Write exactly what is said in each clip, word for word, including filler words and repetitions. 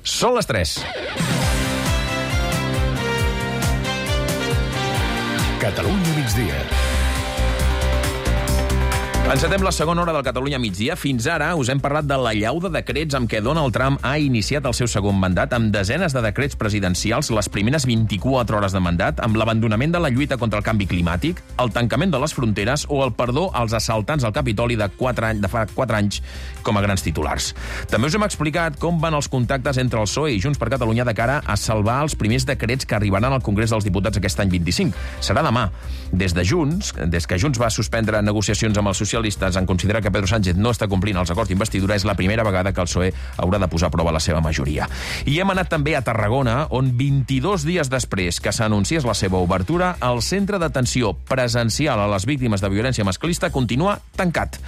Són les tres. Catalunya migdia. Encetem la segona hora del Catalunya migdia. Fins ara us hem parlat de l'allau de decrets amb què Donald Trump ha iniciat el seu segon mandat, amb desenes de decrets presidencials, les primeres vint-i-quatre hores de mandat, amb l'abandonament de la lluita contra el canvi climàtic, el tancament de les fronteres o el perdó als assaltants al Capitoli de, quatre anys, de fa quatre anys com a grans titulars. També us hem explicat com van els contactes entre el P S O E i Junts per Catalunya de cara a salvar els primers decrets que arribaran al Congrés dels Diputats aquest any vint-i-cinc. Serà demà. Des de Junts, des que Junts va suspendre negociacions amb els socialistes en considerar que Pedro Sánchez no està complint els acords d'investidura, és la primera vegada que el P S O E haurà de posar a prova la seva majoria. I hem anat també a Tarragona, on vint-i-dos dies després que s'anunciés la seva obertura, el centre d'atenció presencial a les víctimes de violència masclista continua tancat.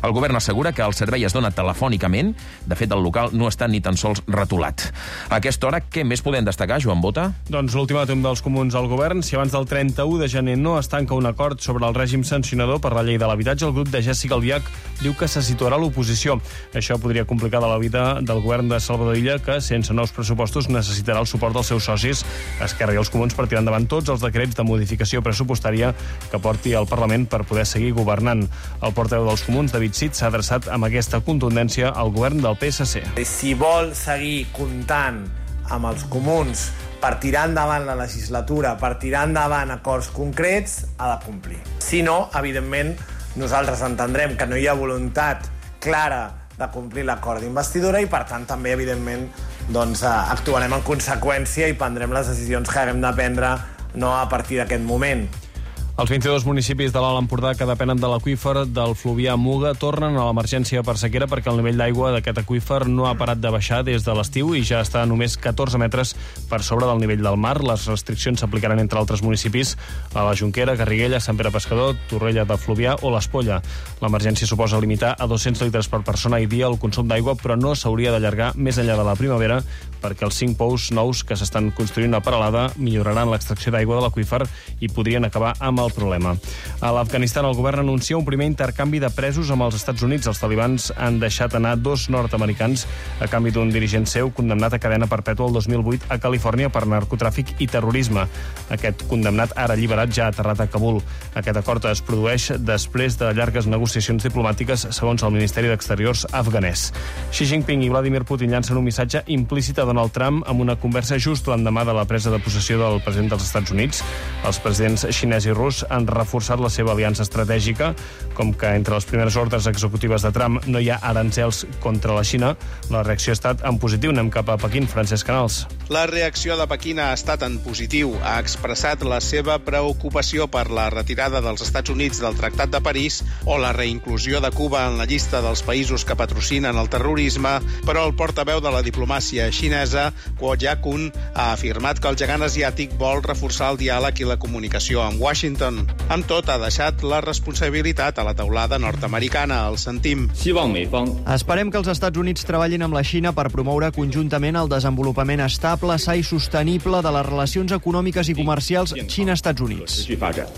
El govern assegura que el servei es dona telefònicament. De fet, el local no està ni tan sols retolat. A aquesta hora, què més podem destacar, Joan Bota? Doncs l'ultimàtum dels comuns al govern. Si abans del trenta-u de gener no es tanca un acord sobre el règim sancionador per la llei de l'habitatge, el grup de Jessica Albiach diu que se situarà a l'oposició. Això podria complicar la vida del govern de Salvador Illa, que sense nous pressupostos necessitarà el suport dels seus socis, Esquerra i els Comuns, per tirar endavant tots els decrets de modificació pressupostària que porti al Parlament per poder seguir governant. El portaveu dels Comuns, David Cid, s'ha adreçat amb aquesta contundència al govern del P S C. Si vol seguir comptant amb els Comuns per tirar endavant la legislatura, per tirar endavant acords concrets, ha de complir. Si no, evidentment, nosaltres entendrem que no hi ha voluntat clara de complir l'acord d'investidura i, per tant, també, evidentment, doncs, actuarem en conseqüència i prendrem les decisions que haguem de prendre no a partir d'aquest moment. Els vint-i-dos municipis de l'Alt Empordà que depenen de l'aqüífer del Fluvià Muga tornen a l'emergència per sequera perquè el nivell d'aigua d'aquest aqüífer no ha parat de baixar des de l'estiu i ja està a només catorze metres per sobre del nivell del mar. Les restriccions s'aplicaran entre altres municipis a la Jonquera, Garriguella, Sant Pere Pescador, Torrella de Fluvià o l'Espolla. L'emergència suposa limitar a dos-cents litres per persona i dia el consum d'aigua, però no s'hauria d'allargar més enllà de la primavera perquè els cinc pous nous que s'estan construint a Peralada milloraran l'extracció d'aigua de l'aqüífer i podrien acabar amb el problema. A l'Afganistan, el govern anuncia un primer intercanvi de presos amb els Estats Units. Els talibans han deixat anar dos nord-americans a canvi d'un dirigent seu condemnat a cadena perpètua el dos mil vuit a Califòrnia per narcotràfic i terrorisme. Aquest condemnat, ara alliberat, ja ha aterrat a Kabul. Aquest acord es produeix després de llargues negociacions diplomàtiques, segons el Ministeri d'Exteriors afganès. Xi Jinping i Vladimir Putin llancen un missatge implícit a Donald Trump amb una conversa just l'endemà de la presa de possessió del president dels Estats Units. Els presidents xinès i rus han reforçat la seva aliança estratègica, com que entre les primeres ordres executives de Trump no hi ha aranzels contra la Xina. La reacció ha estat en positiu. Anem cap a Pequín. Francesc Canals. La reacció de Pequín ha estat en positiu. Ha expressat la seva preocupació per la retirada dels Estats Units del Tractat de París o la reinclusió de Cuba en la llista dels països que patrocinen el terrorisme, però el portaveu de la diplomàcia xinesa, Guo Jiakun, ha afirmat que el gegant asiàtic vol reforçar el diàleg i la comunicació amb Washington. Amb tot, ha deixat la responsabilitat a la teulada nord-americana. El sentim. Esperem que els Estats Units treballin amb la Xina per promoure conjuntament el desenvolupament estable, sa i sostenible de les relacions econòmiques i comercials Xina-Estats Units.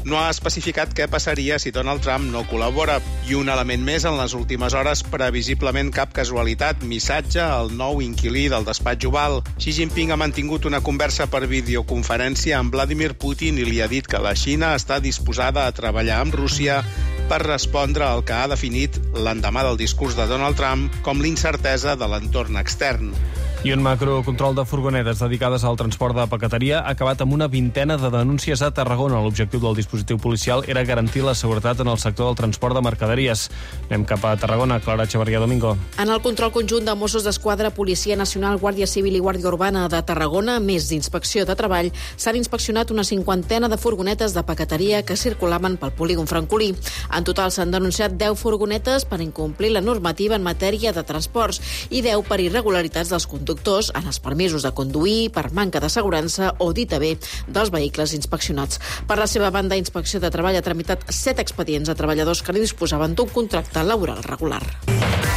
No ha especificat què passaria si Donald Trump no col·labora. I un element més en les últimes hores, previsiblement cap casualitat, missatge al nou inquilí del despatx Oval. Xi Jinping ha mantingut una conversa per videoconferència amb Vladimir Putin i li ha dit que la Xina està disposada a treballar amb Rússia per respondre al que ha definit l'endemà del discurs de Donald Trump com l'incertesa de l'entorn extern. I un macrocontrol de furgonetes dedicades al transport de paqueteria ha acabat amb una vintena de denúncies a Tarragona. L'objectiu del dispositiu policial era garantir la seguretat en el sector del transport de mercaderies. Anem cap a Tarragona. Clara Echeverría Domingo. En el control conjunt de Mossos d'Esquadra, Policia Nacional, Guàrdia Civil i Guàrdia Urbana de Tarragona, més d'inspecció de treball, s'han inspeccionat una cinquantena de furgonetes de paqueteria que circulaven pel polígon francolí. En total s'han denunciat deu furgonetes per incomplir la normativa en matèria de transports i deu per irregularitats dels conductors en els permisos de conduir, per manca d'assegurança o dit a bé dels vehicles inspeccionats. Per la seva banda, Inspecció de Treball ha tramitat set expedients a treballadors que li disposaven d'un contracte laboral regular.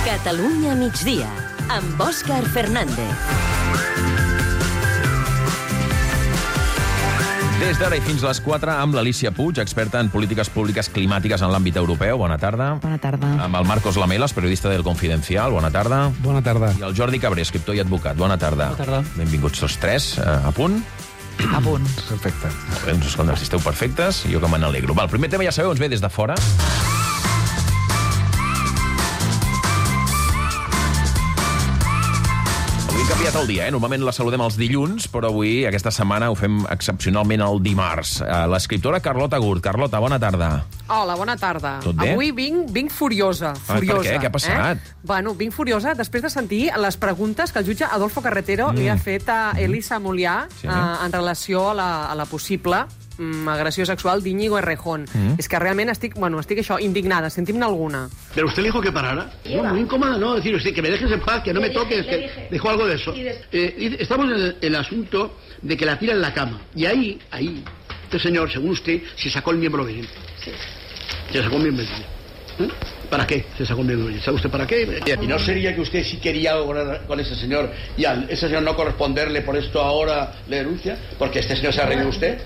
Catalunya migdia, amb Òscar Fernández. Des d'ara i fins a les quatre amb l'Alícia Puig, experta en polítiques públiques climàtiques en l'àmbit europeu. Bona tarda. Bona tarda. Amb el Marcos Lamelas, periodista del Confidencial. Bona tarda. Bona tarda. I el Jordi Cabré, escriptor i advocat. Bona tarda. Bona tarda. Benvinguts tots tres. A punt? A punt. Perfecte. Bé, doncs, escolta, si esteu perfectes, jo que me n'alegro. Va, el primer tema ja sabeu, ens ve des de fora. Avui hem canviat el dia, eh? Normalment la saludem els dilluns, però avui, aquesta setmana, ho fem excepcionalment el dimarts. L'escriptora Carlota Gurt. Carlota, bona tarda. Hola, bona tarda. Tot bé? Avui vinc, vinc furiosa. furiosa per què? Què ha passat? Eh? Bueno, vinc furiosa després de sentir les preguntes que el jutge Adolfo Carretero mm. li ha fet a Elisa Mollà sí. eh, en relació a la, a la possible mm, agressió sexual d'Íñigo Errejón. Mm. És que realment estic, bueno, estic això, indignada, sentim-ne alguna. ¿Pero usted le dijo que parara? No, muy incómoda, no, decir usted que me dejes en paz, que no me toques, que dijo algo de eso. Eh, estamos en el, el asunto de que la tira en la cama. Y ahí, ahí, este señor, según usted, se sacó el miembro viril. Sí. Se sacó el miembro viril. ¿Eh? ¿Para qué se sacó el miembro viril? ¿Sabe usted para qué? Y no sería que usted sí quería algo con ese señor y al ese señor no corresponderle por esto ahora le denuncia, porque este señor se ha reído usted.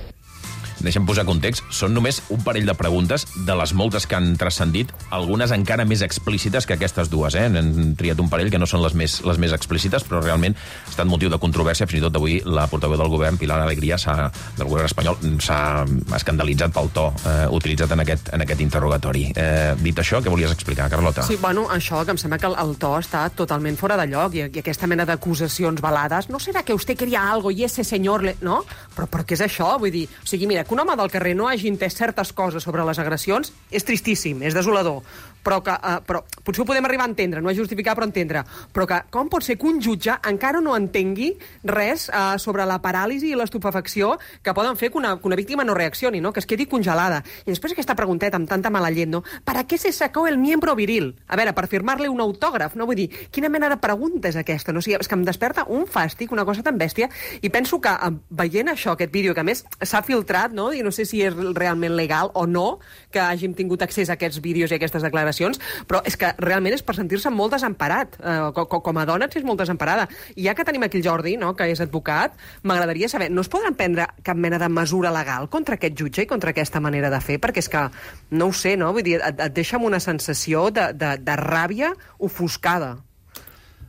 Deixem posar context. Són només un parell de preguntes de les moltes que han transcendit, algunes encara més explícites que aquestes dues. Eh? Han triat un parell que no són les més, les més explícites, però realment ha estat motiu de controvèrsia. Fins i tot avui la portaveu del govern, Pilar Alegría, del govern espanyol, s'ha escandalitzat pel to eh, utilitzat en aquest, en aquest interrogatori. Eh, dit això, què volies explicar, Carlota? Sí, bueno, això, que em sembla que el, el to està totalment fora de lloc i, i aquesta mena d'acusacions velades. No serà que usted quería algo i ese señor... Le... No? Però, però què és això? Vull dir, o sigui, mira, que un home del carrer no hagi entès certes coses sobre les agressions és tristíssim, és desolador, però, que, uh, però potser ho podem arribar a entendre, no és justificar però entendre, però que com pot ser que un jutge encara no entengui res uh, sobre la paràlisi i l'estupefacció que poden fer que una, que una víctima no reaccioni, no? Que es quedi congelada. I després aquesta pregunteta amb tanta mala llet, no? ¿Para qué se sacó el miembro viril? A veure, per firmar-li un autògraf, no? Vull dir, quina mena de pregunta és aquesta? No? O sigui, és que em desperta un fàstic, una cosa tan bèstia, i penso que uh, veient això, aquest vídeo, que a més s'ha filtrat, no? I no sé si és realment legal o no que hàgim tingut accés a aquests vídeos i a aquestes declaracions, però és que realment és per sentir-se molt desemparat. Eh, com, com a dona et sents molt desemparada. I ja que tenim aquí el Jordi, no?, que és advocat, m'agradaria saber, no es podran prendre cap mena de mesura legal contra aquest jutge i contra aquesta manera de fer? Perquè és que, no ho sé, no? Vull dir, et, et deixa amb una sensació de, de, de ràbia ofuscada.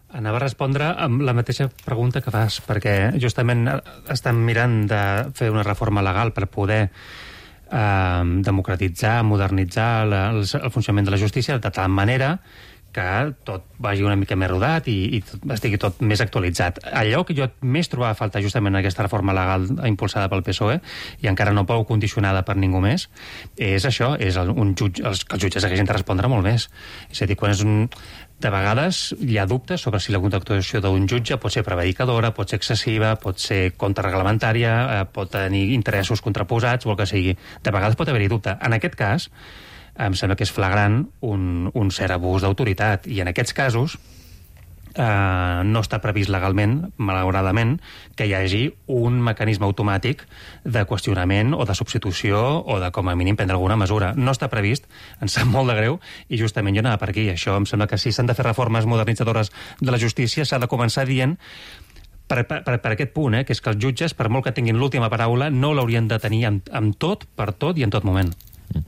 Anava a respondre amb la mateixa pregunta que fas, perquè justament estem mirant de fer una reforma legal per poder eh, democratitzar, modernitzar la, el, el funcionament de la justícia de tal manera que tot vagi una mica més rodat i, i tot, estigui tot més actualitzat. Allò que jo més trobava a faltar justament en aquesta reforma legal impulsada pel P S O E i encara no prou condicionada per ningú més, és això, és el, un jutge, els, que els jutges haguessin de respondre molt més. És a dir, quan és un... De vegades hi ha dubtes sobre si la contractació d'un jutge pot ser prevaricadora, pot ser excessiva, pot ser contrarreglamentària, eh, pot tenir interessos contraposats o el que sigui. De vegades pot haver-hi dubte. En aquest cas, em sembla que és flagrant un, un cert abús d'autoritat. I en aquests casos eh, no està previst legalment, malauradament, que hi hagi un mecanisme automàtic de qüestionament o de substitució o de, com a mínim, prendre alguna mesura. No està previst, ens sap molt de greu, i justament jo anava per aquí. Això em sembla que si s'han de fer reformes modernitzadores de la justícia s'ha de començar dient per, per, per aquest punt, eh, que és que els jutges, per molt que tinguin l'última paraula, no l'haurien de tenir amb, amb tot, per tot i en tot moment. Mm.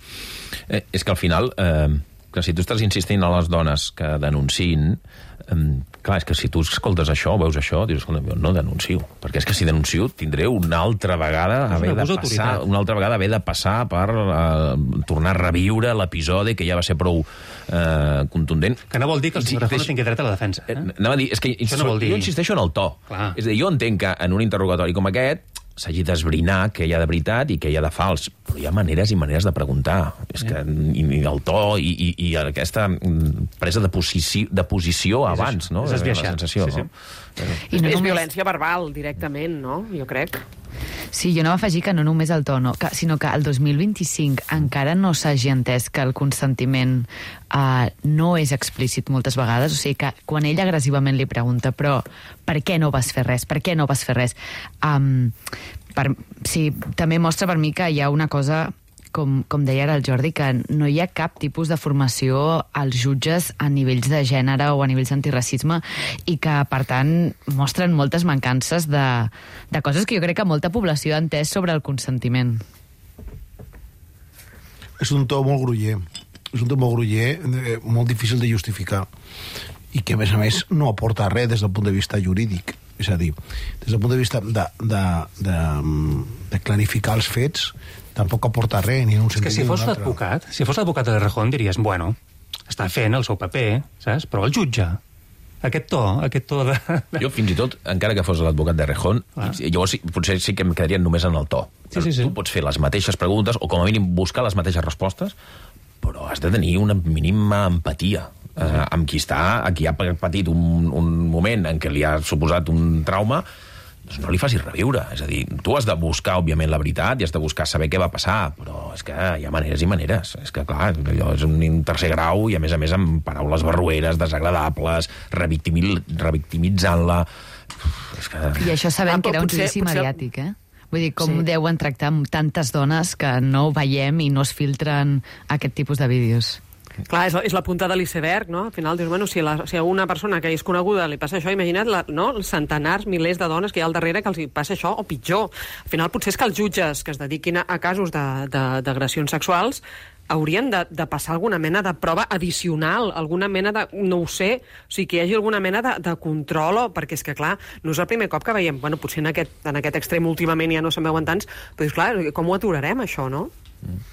Eh, és que al final... Eh... que si tu estàs insistint a les dones que denunciïn, eh, clar, és que si tu escoltes això, veus això, dius, escolta, jo no denuncio, perquè és que si denuncio tindré una altra vegada haver de passar, una altra vegada haver de passar per eh, tornar a reviure l'episodi que ja va ser prou eh, contundent. Que no vol dir que el senyor Rejón no tingui dret a la defensa. Eh? Anava a dir, és que això no vol dir... jo insisteixo en el to. Clar. És a dir, jo entenc que en un interrogatori com aquest s'hagi d'esbrinar què hi ha de veritat i què hi ha de fals, però hi ha maneres i maneres de preguntar. És que i, i el to i, i, i aquesta presa de posició, de posició és abans, això. No? És esbiaixat. La sensació, sí, sí. No? I no és només... violència verbal, directament, no? Jo crec. Sí, jo no m'afegir que no només el to, no, que, sinó que el dos mil vint-i-cinc encara no s'hagi entès que el consentiment uh, no és explícit moltes vegades. O sigui que quan ell agressivament li pregunta però per què no vas fer res? Per què no vas fer res? Um, per, sí, també mostra per mi que hi ha una cosa com, com deia ara el Jordi, que no hi ha cap tipus de formació als jutges a nivells de gènere o a nivells d'antiracisme i que, per tant, mostren moltes mancances de, de coses que jo crec que molta població ha entès sobre el consentiment. És un to molt gruller. És un to molt gruller, eh, molt difícil de justificar i que, a més a més, no aporta res des del punt de vista jurídic. És a dir, des del punt de vista de, de, de, de clarificar els fets, tampoc aporta res, ni en un sentit ni en un altre. És que si fos l'advocat, si fos l'advocat de Rejón, diries, bueno, està fent el seu paper, saps? Però el jutge, aquest to, aquest to de... Jo, fins i tot, encara que fos l'advocat de Rejón, ah. llavors potser sí que em quedaria només en el to. Sí, sí, sí. Tu pots fer les mateixes preguntes, o com a mínim buscar les mateixes respostes, però has de tenir una mínima empatia eh, amb qui està, a qui ha patit un, un moment en què li ha suposat un trauma, doncs no li facis reviure. És a dir, tu has de buscar, òbviament, la veritat i has de buscar saber què va passar, però és que hi ha maneres i maneres. És que, clar, allò és un tercer grau i, a més a més, amb paraules barrueres, desagradables, revictimitzant-la... És que... I això sabem ah, que era un judici potser... mediàtic, eh? Vull dir, com sí. deuen tractar amb tantes dones que no veiem i no es filtren aquest tipus de vídeos. Clar, és la, és la punta de l'iceberg, no? Al final dius, bueno, si, la, si a una persona que és coneguda li passa això, imagina't la, no? els centenars, milers de dones que hi ha al darrere que els passa això, o pitjor. Al final potser és que els jutges que es dediquin a, a casos d'agressions sexuals haurien de, de passar alguna mena de prova addicional, alguna mena de... no ho sé, o sigui, que hi hagi alguna mena de, de control, o, perquè és que, clar, no és el primer cop que veiem, bueno, potser en aquest, en aquest extrem últimament ja no se'n veuen tants, però és clar, com ho aturarem, això, no? Mm.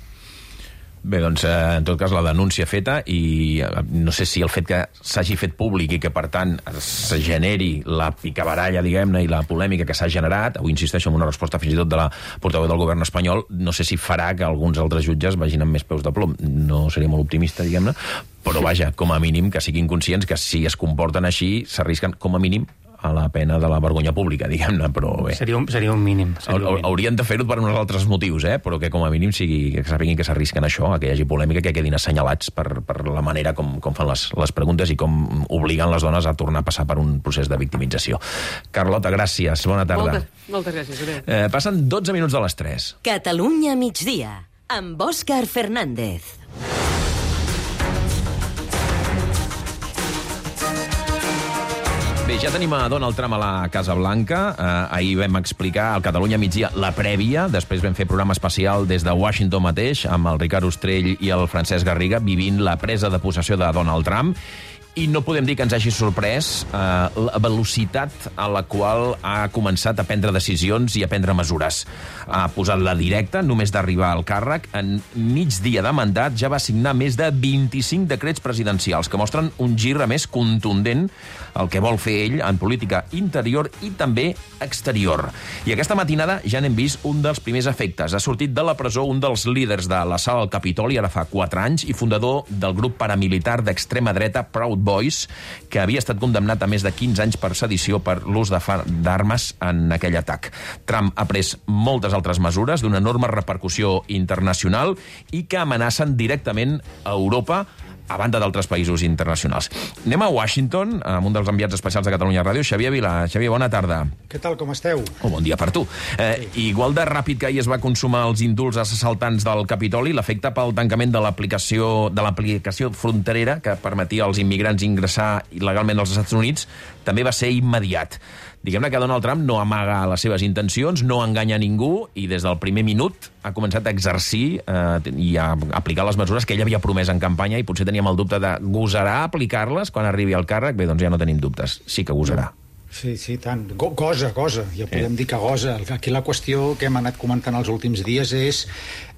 Bé, doncs, en tot cas, la denúncia feta i no sé si el fet que s'hagi fet públic i que, per tant, es generi la picabaralla, diguem-ne, i la polèmica que s'ha generat, avui insisteixo en una resposta fins i tot de la portaveu del govern espanyol, no sé si farà que alguns altres jutges vagin amb més peus de plom. No seria molt optimista, diguem-ne, però vaja, com a mínim que siguin conscients que si es comporten així s'arrisquen, com a mínim, a la pena de la vergonya pública, diguem-ne, però bé. Seria un, seria un mínim. Seria un mínim. Haurien de fer-ho per uns altres motius, eh? Però que com a mínim sigui, que sapiguin que s'arrisquen això, a que hi hagi polèmica, que quedin assenyalats per, per la manera com, com fan les, les preguntes i com obliguen les dones a tornar a passar per un procés de victimització. Carlota, gràcies. Bona tarda. Moltes, moltes gràcies. Eh, passen dotze minuts de les tres. Catalunya migdia, amb Òscar Fernández. Bé, ja tenim a Donald Trump a la Casa Blanca. Eh, ahir vam explicar al Catalunya migdia la prèvia, després vam fer programa especial des de Washington mateix amb el Ricard Ostrell i el Francesc Garriga vivint la presa de possessió de Donald Trump. I no podem dir que ens hagi sorprès eh, la velocitat a la qual ha començat a prendre decisions i a prendre mesures. Ha posat la directa, només d'arribar al càrrec. En mig dia de mandat ja va signar més de vint-i-cinc decrets presidencials que mostren un gir a més contundent el que vol fer ell en política interior i també exterior. I aquesta matinada ja n'hem vist un dels primers efectes. Ha sortit de la presó un dels líders de l'assalt al Capitoli ara fa quatre anys i fundador del grup paramilitar d'extrema dreta Proud Boys, que havia estat condemnat a més de quinze anys per sedició per l'ús d'armes en aquell atac. Trump ha pres moltes altres mesures d'una enorme repercussió internacional i que amenacen directament a Europa a banda d'altres països internacionals. Anem a Washington, amb un dels enviats especials de Catalunya Ràdio, Xavier Vila. Xavier, bona tarda. Què tal, com esteu? Oh, bon dia per tu. Eh, igual de ràpid que ahir es va consumar els indults als assaltants del Capitoli, l'efecte pel tancament de l'aplicació de l'aplicació fronterera que permetia als immigrants ingressar il·legalment als Estats Units també va ser immediat. Diguem-ne que Donald Trump no amaga les seves intencions, no enganya ningú i des del primer minut ha començat a exercir eh, i a aplicar les mesures que ell havia promès en campanya i potser teníem el dubte de gosarà aplicar-les quan arribi al càrrec? Bé, doncs ja no tenim dubtes. Sí que gosarà. Sí, sí, tant. Go gosa, gosa. Ja podem eh. dir que gosa. Aquí la qüestió que hem anat comentant els últims dies és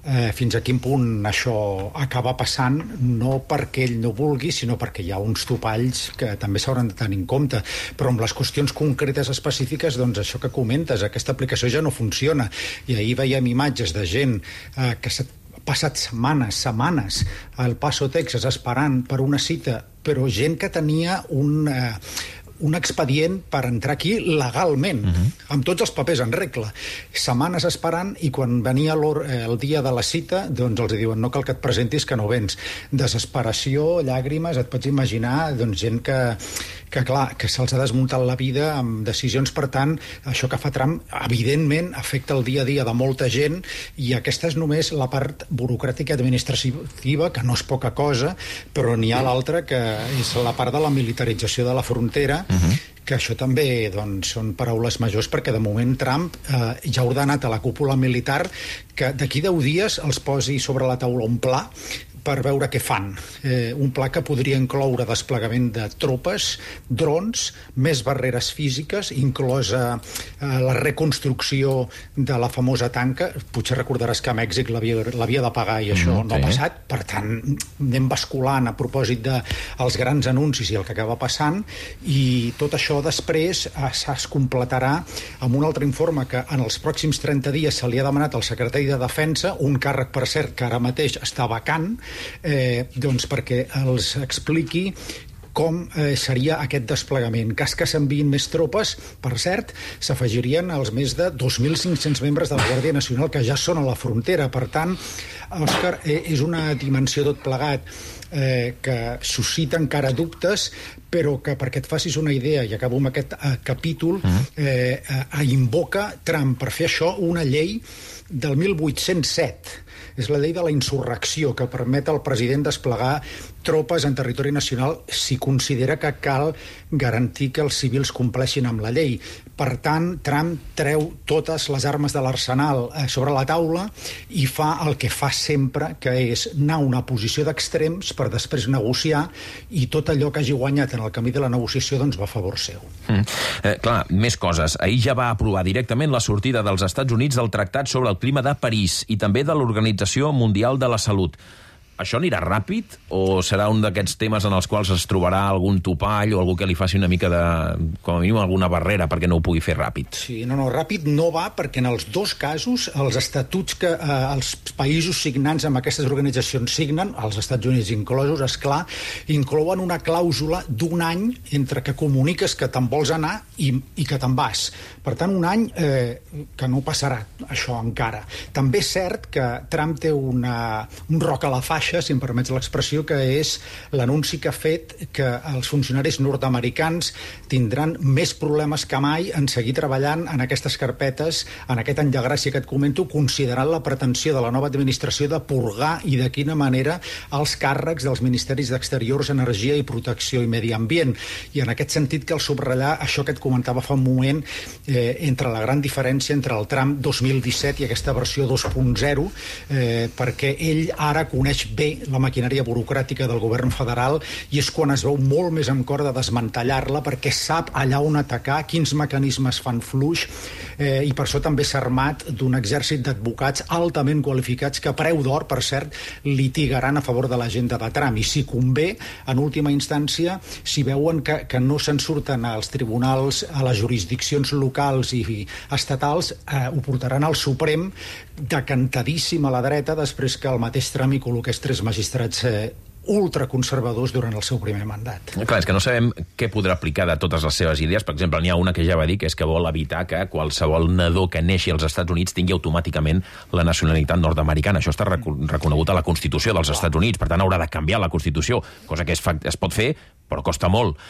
eh, fins a quin punt això acaba passant, no perquè ell no vulgui, sinó perquè hi ha uns topalls que també s'hauran de tenir en compte. Però amb les qüestions concretes específiques, doncs això que comentes, aquesta aplicació ja no funciona. I ahir veiem imatges de gent eh, que s'ha passat setmanes, setmanes al Paso, Texas, esperant per una cita, però gent que tenia un... Eh, un expedient per entrar aquí legalment, uh-huh. amb tots els papers en regla. Setmanes esperant i quan venia el dia de la cita, doncs els diuen no cal que et presentis que no vens. Desesperació, llàgrimes, et pots imaginar doncs, gent que, que, clar, que se'ls ha desmuntat la vida amb decisions. Per tant, això que fa Trump, evidentment, afecta el dia a dia de molta gent, i aquesta és només la part burocràtica administrativa, que no és poca cosa, però n'hi ha l'altra, que és la part de la militarització de la frontera, uh-huh. que això també doncs, són paraules majors, perquè de moment Trump eh, ja ha ordenat a la cúpula militar que d'aquí deu dies els posi sobre la taula un pla per veure què fan. Eh, un pla que podria incloure desplegament de tropes, drons, més barreres físiques, inclosa eh, la reconstrucció de la famosa tanca. Potser recordaràs que a Mèxic l'havia de pagar i això mm, no ha passat. Per tant, anem basculant a propòsit dels grans anuncis i el que acaba passant, i tot això després eh, es completarà amb un altre informe que en els pròxims trenta dies se li ha demanat al secretari de Defensa, un càrrec, per cert, que ara mateix està vacant, Eh, doncs perquè els expliqui com eh, seria aquest desplegament. En cas que s'enviïn més tropes, per cert, s'afegirien els més de dos mil cinc-cents membres de la Guàrdia Nacional que ja són a la frontera. Per tant, Òscar, eh, és una dimensió tot plegat eh, que suscita encara dubtes, però que, perquè et facis una idea, i acabo amb aquest eh, capítol, eh, eh, invoca Trump per fer això una llei del mil vuit-cents set. És la llei de la insurrecció, que permet al president desplegar tropes en territori nacional si considera que cal garantir que els civils compleixin amb la llei. Per tant, Trump treu totes les armes de l'arsenal sobre la taula i fa el que fa sempre, que és anar a una posició d'extrems per després negociar, i tot allò que hagi guanyat en el camí de la negociació doncs va a favor seu. Mm. Eh, clar, més coses. Ahir ja va aprovar directament la sortida dels Estats Units del Tractat sobre el Clima de París i també de l'Organització Mundial de la Salut. Això anirà ràpid o serà un d'aquests temes en els quals es trobarà algun topall o algú que li faci una mica de, com a mínim, alguna barrera perquè no ho pugui fer ràpid? Sí, no, no, ràpid no va, perquè en els dos casos els estatuts que eh, els països signants amb aquestes organitzacions signen, els Estats Units inclosos, esclar, inclouen una clàusula d'un any entre que comuniques que te'n vols anar i, i que te'n vas. Per tant, un any eh, que no passarà això encara. També és cert que Trump té una, un roc a la faixa, si em permets l'expressió, que és l'anunci que ha fet que els funcionaris nord-americans tindran més problemes que mai en seguir treballant en aquestes carpetes, en aquest any de gràcia que et comento, considerant la pretensió de la nova administració de purgar i de quina manera els càrrecs dels ministeris d'Exteriors, Energia i Protecció i Medi Ambient. I en aquest sentit cal subratllar això que et comentava fa un moment, eh, entre la gran diferència entre el Trump dos mil disset i aquesta versió dos punt zero, eh, perquè ell ara coneix bé la maquinària burocràtica del govern federal i és quan es veu molt més amb cor de desmantellar-la, perquè sap allà on atacar, quins mecanismes fan fluix, eh, i per això també s'ha armat d'un exèrcit d'advocats altament qualificats que a preu d'or, per cert, litigaran a favor de l'agenda de Trump. I si convé, en última instància, si veuen que, que no se'n surten als tribunals, a les jurisdiccions locals i estatals, eh, ho portaran al Suprem decantadíssim a la dreta, després que el mateix Trump hi col·loqués tres magistrats eh, ultraconservadors durant el seu primer mandat. Clar, és que no sabem què podrà aplicar de totes les seves idees. Per exemple, n'hi ha una que ja va dir, que és que vol evitar que qualsevol nadó que neixi als Estats Units tingui automàticament la nacionalitat nord-americana. Això està reconegut a la Constitució dels Estats Units, per tant haurà de canviar la Constitució, cosa que es, fa, es pot fer, però costa molt.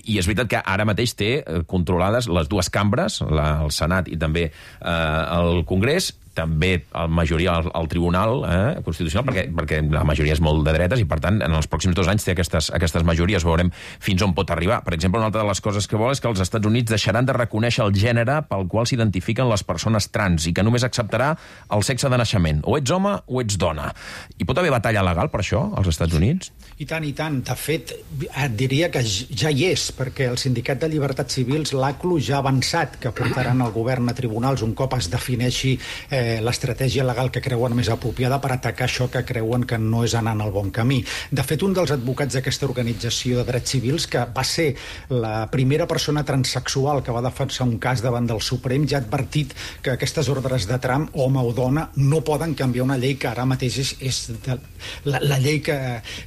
I és veritat que ara mateix té controlades les dues cambres, la, el Senat i també eh, el Congrés, també la majoria al, al Tribunal eh, Constitucional, perquè, perquè la majoria és molt de dretes i, per tant, en els pròxims dos anys té aquestes, aquestes majories. Veurem fins on pot arribar. Per exemple, una altra de les coses que vol és que els Estats Units deixaran de reconèixer el gènere pel qual s'identifiquen les persones trans i que només acceptarà el sexe de naixement. O ets home o ets dona. Hi pot haver batalla legal per això, als Estats Units? I tant, i tant. De fet, et diria que ja hi és, perquè el Sindicat de Llibertats Civils, l'A C L U, ja ha avançat que portaran el govern a tribunals un cop es defineixi eh, l'estratègia legal que creuen més apropiada per atacar això que creuen que no és anar en el bon camí. De fet, un dels advocats d'aquesta organització de drets civils, que va ser la primera persona transsexual que va defensar un cas davant del Suprem, ja ha advertit que aquestes ordres de Trump, home o dona, no poden canviar una llei que ara mateix és, és de, la, la llei que,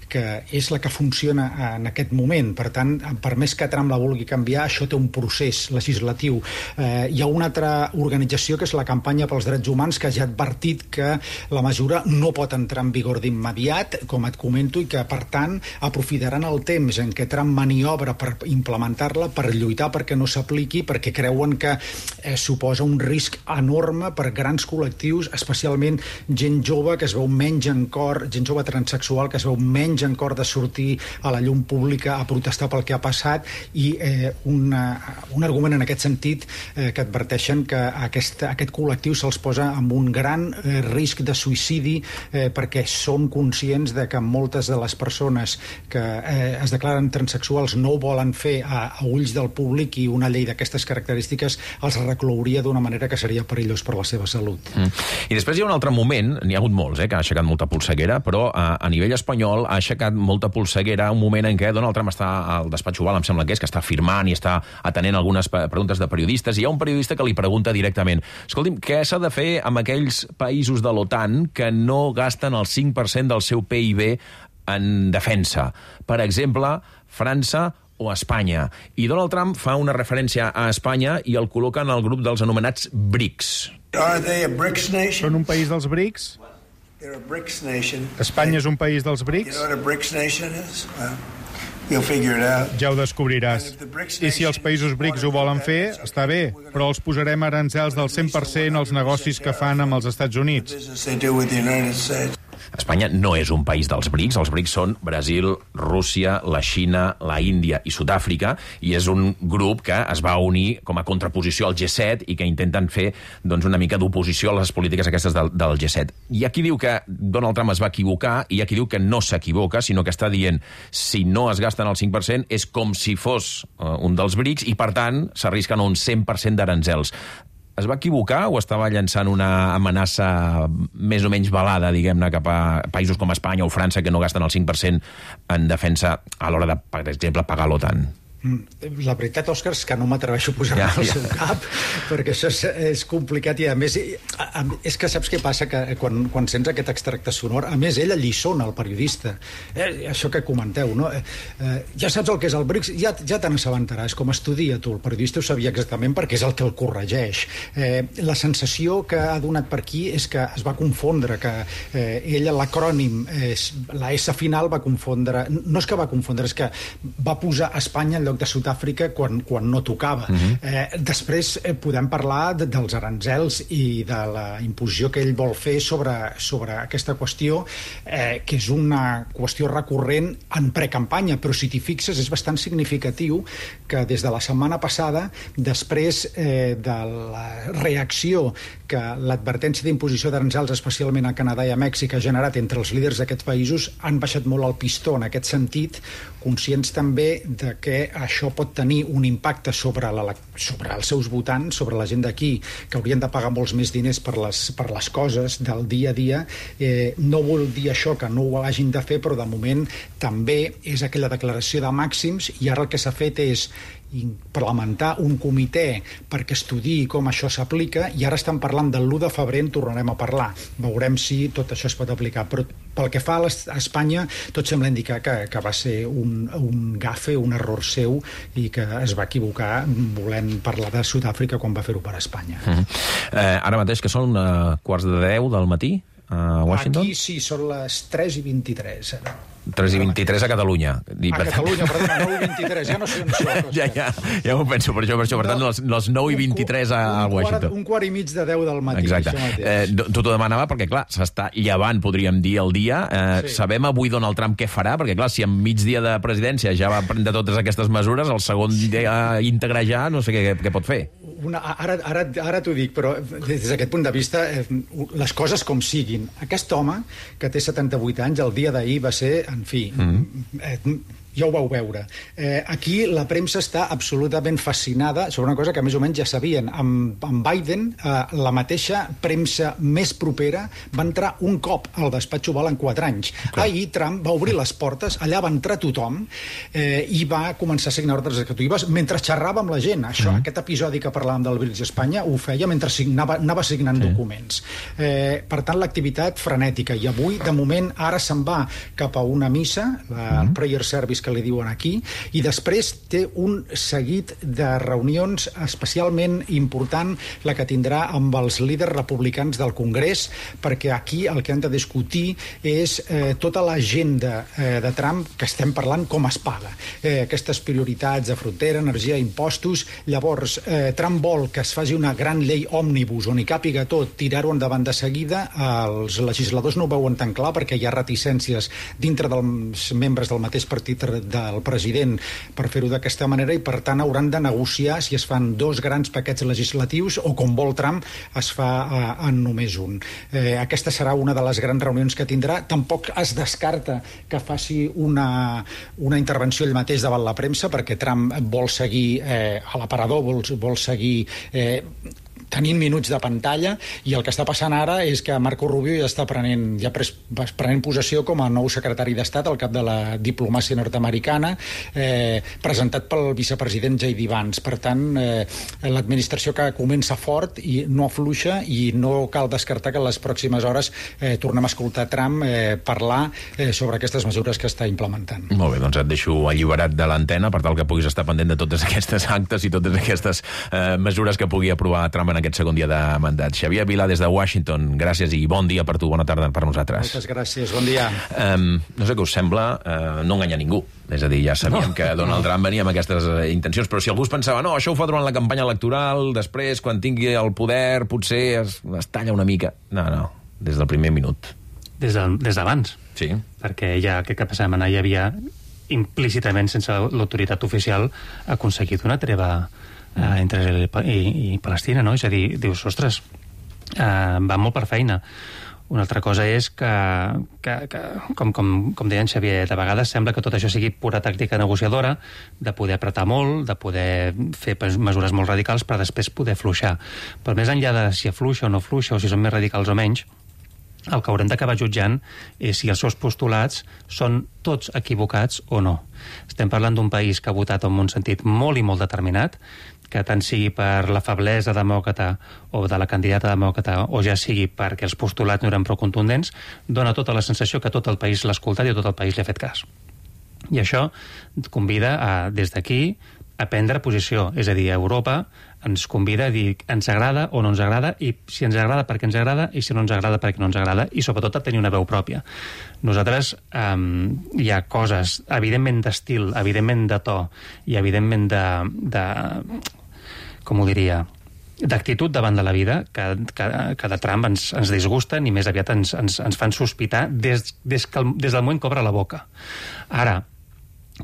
que és la que funciona en aquest moment. moment. Per tant, per més que Trump la vulgui canviar, això té un procés legislatiu. Eh, hi ha una altra organització, que és la Campanya pels Drets Humans, que ja ha advertit que la mesura no pot entrar en vigor d'immediat, com et comento, i que, per tant, aprofitaran el temps en què Trump maniobra per implementar-la, per lluitar perquè no s'apliqui, perquè creuen que eh, suposa un risc enorme per grans col·lectius, especialment gent jove que es veu menys en cor, gent jove transexual que es veu menys en cor de sortir a la llum pública a protestar pel que ha passat, i eh, una, un argument en aquest sentit eh, que adverteixen que aquest, aquest col·lectiu se'ls posa amb un gran eh, risc de suïcidi eh, perquè són conscients de que moltes de les persones que eh, es declaren transexuals no ho volen fer a, a ulls del públic, i una llei d'aquestes característiques els reclouria d'una manera que seria perillós per la seva salut. Mm. I després hi ha un altre moment, n'hi ha hagut molts, eh, que ha aixecat molta polseguera, però a, a nivell espanyol ha aixecat molta polseguera un moment en què Donald Trump està al despatx Oval, em sembla que és, que està firmant i està atenent algunes preguntes de periodistes, i hi ha un periodista que li pregunta directament: escolti'm, què s'ha de fer amb aquells països de l'OTAN que no gasten el cinc per cent del seu P I B en defensa? Per exemple, França o Espanya. I Donald Trump fa una referència a Espanya i el col·loca en el grup dels anomenats BRICS. Are they a BRICS nation? Són un país dels BRICS? They're a BRICS nation. Espanya és un país dels BRICS? You know what a BRICS nation is? Well, you'll figure it out. Ja ho descobriràs. I si els països BRICS ho volen fer, està bé, però els posarem aranzels del cent per cent als negocis que fan amb els Estats Units. Espanya no és un país dels BRICS. Els BRICS són Brasil, Rússia, la Xina, la Índia i Sud-àfrica, i és un grup que es va unir com a contraposició al G set i que intenten fer doncs, una mica d'oposició a les polítiques aquestes del, del G set. Hi ha qui diu que Donald Trump es va equivocar i hi ha qui diu que no s'equivoca, sinó que està dient si no es gasten el cinc per cent és com si fos uh, un dels BRICS i, per tant, s'arrisquen a un cent per cent d'aranzels. Es va equivocar o estava llançant una amenaça més o menys velada, diguem-ne, cap a països com Espanya o França que no gasten el cinc per cent en defensa a l'hora de, per exemple, pagar l'OTAN? La veritat, Òscar, és que no m'atreveixo a posar-me ja, al ja. seu cap, perquè això és, és complicat, i a més a, a, és que saps què passa, que quan, quan sents aquest extracte sonor, a més ell alliçona el periodista, eh, això que comenteu, no? Eh, eh, ja saps el que és el BRICS, ja, ja te n'assabentaràs, com estudia tu, el periodista ho sabia exactament perquè és el que el corregeix. Eh, la sensació que ha donat per aquí és que es va confondre, que eh, ell l'acrònim, eh, la S final va confondre, no és que va confondre, és que va posar Espanya en lloc de Sud-àfrica quan, quan no tocava. Uh-huh. eh, després eh, podem parlar de, dels aranzels i de la imposició que ell vol fer sobre, sobre aquesta qüestió, eh, que és una qüestió recurrent en precampanya, però si t'hi fixes és bastant significatiu que des de la setmana passada, després eh, de la reacció que l'advertència d'imposició d'aranzels, especialment a Canadà i a Mèxic, ha generat entre els líders d'aquests països, han baixat molt el pistó en aquest sentit, conscients també de que això pot tenir un impacte sobre, la, sobre els seus votants, sobre la gent d'aquí, que haurien de pagar molts més diners per les, per les coses del dia a dia. Eh, no vol dir això que no ho hagin de fer, però de moment també és aquella declaració de màxims, i ara el que s'ha fet és implementar un comitè perquè estudiï com això s'aplica, i ara estan parlant del l'u de febrer, en tornarem a parlar. Veurem si tot això es pot aplicar, però pel que fa a Espanya, tot sembla indicar que, que va ser un, un gafe, un error seu, i que es va equivocar volent parlar de Sud-àfrica quan va fer-ho per Espanya. Uh-huh. eh, ara mateix que són uh, quarts de deu del matí a Washington? Aquí sí, són les tres i vint-i-tres. tres i vint-i-tres a Catalunya. A Catalunya, perdona, nou i vint-i-tres, ja no sé on soc. Ja, ja, ja m'ho penso, per això, per això. Per tant, les, les nou i vint-i-tres a, a Washington. Un quart i mig de deu del matí. Exacte. Eh, tu t'ho demanava perquè, clar, s'està llevant, podríem dir, el dia. Eh, sí. Sabem avui Donald Trump què farà, perquè, clar, si en migdia de presidència ja va prendre totes aquestes mesures, el segon dia íntegre ja, no sé què, què pot fer. Una, ara ara, ara t'ho dic, però des d'aquest punt de vista, eh, les coses com siguin. Aquest home, que té setanta-vuit anys, el dia d'ahir va ser, en fi, mm-hmm. eh, ja ho vau veure. Eh, aquí la premsa està absolutament fascinada sobre una cosa que més o menys ja sabien. Amb, amb Biden, eh, la mateixa premsa més propera va entrar un cop al despatx Oval en quatre anys. Okay. Ahir Trump va obrir les portes, allà va entrar tothom eh, i va començar a signar ordres executives mentre xerrava amb la gent. Això, mm. Aquest episodi que parlàvem del BRICS Espanya ho feia mentre signava, anava signant sí. documents. Eh, per tant, l'activitat frenètica. I avui, de moment, ara se'n va cap a una missa, la mm. Prayer Service que li diuen aquí, i després té un seguit de reunions especialment important, la que tindrà amb els líders republicans del Congrés, perquè aquí el que han de discutir és eh, tota l'agenda eh, de Trump que estem parlant com es paga. Eh, aquestes prioritats de frontera, energia, impostos. Llavors, eh, Trump vol que es faci una gran llei òmnibus on hi càpiga tot, tirar-ho endavant de seguida. Els legisladors no ho veuen tan clar perquè hi ha reticències dintre dels membres del mateix partit del president per fer-ho d'aquesta manera, i per tant hauran de negociar si es fan dos grans paquets legislatius o, com vol Trump, es fa eh, en només un. Eh, aquesta serà una de les grans reunions que tindrà. Tampoc es descarta que faci una, una intervenció ell mateix davant la premsa, perquè Trump vol seguir eh, a l'aparador, vol, vol seguir eh, tenint minuts de pantalla, i el que està passant ara és que Marco Rubio ja està prenent, ja pres, prenent possessió com a nou secretari d'Estat al cap de la diplomàcia nord-americana, eh, presentat pel vicepresident J D Vance. Per tant, eh, l'administració que comença fort i no afluixa, i no cal descartar que en les pròximes hores eh, tornem a escoltar Trump eh, parlar eh, sobre aquestes mesures que està implementant. Molt bé, doncs et deixo alliberat de l'antena per tal que puguis estar pendent de totes aquestes actes i totes aquestes eh, mesures que pugui aprovar Trump en aquest segon dia de mandat. Xavier Vilà, des de Washington, gràcies i bon dia per tu, bona tarda per nosaltres. Moltes gràcies, bon dia. Um, no sé què us sembla, uh, no enganyar ningú. És a dir, ja sabíem no. que Donald Trump venia amb aquestes uh, intencions, però si algú es pensava, no, això ho fa durant la campanya electoral, després, quan tingui el poder, potser es, es talla una mica. No, no, des del primer minut. Des d'abans. Sí. Perquè ja aquest cap de setmana hi havia implícitament, sense l'autoritat oficial, aconseguit una treva Uh, entre Israel i, i Palestina, no? És a dir, dius, ostres, uh, va molt per feina. Una altra cosa és que, que, que com, com, com deia en Xavier, de vegades sembla que tot això sigui pura tàctica negociadora, de poder apretar molt, de poder fer mesures molt radicals, per després poder fluixar. Però més enllà de si afluixa o no afluixa, o si són més radicals o menys, el que haurem d'acabar jutjant és si els seus postulats són tots equivocats o no. Estem parlant d'un país que ha votat en un sentit molt i molt determinat, que tant sigui per la feblesa demòcrata o de la candidata demòcrata, o ja sigui perquè els postulats no eren prou contundents, dona tota la sensació que tot el país l'ha escoltat i tot el país li ha fet cas. I això convida a, des d'aquí, a prendre posició. És a dir, a Europa ens convida a dir ens agrada o no ens agrada, i si ens agrada perquè ens agrada, i si no ens agrada perquè no ens agrada, i sobretot a tenir una veu pròpia. Nosaltres eh, hi ha coses, evidentment d'estil, evidentment de to, i evidentment de, de com ho diria, d'actitud davant de la vida, que, que, que de Trump ens, ens disgusten i més aviat ens, ens, ens fan sospitar des, des, que, des del moment que obre la boca. Ara,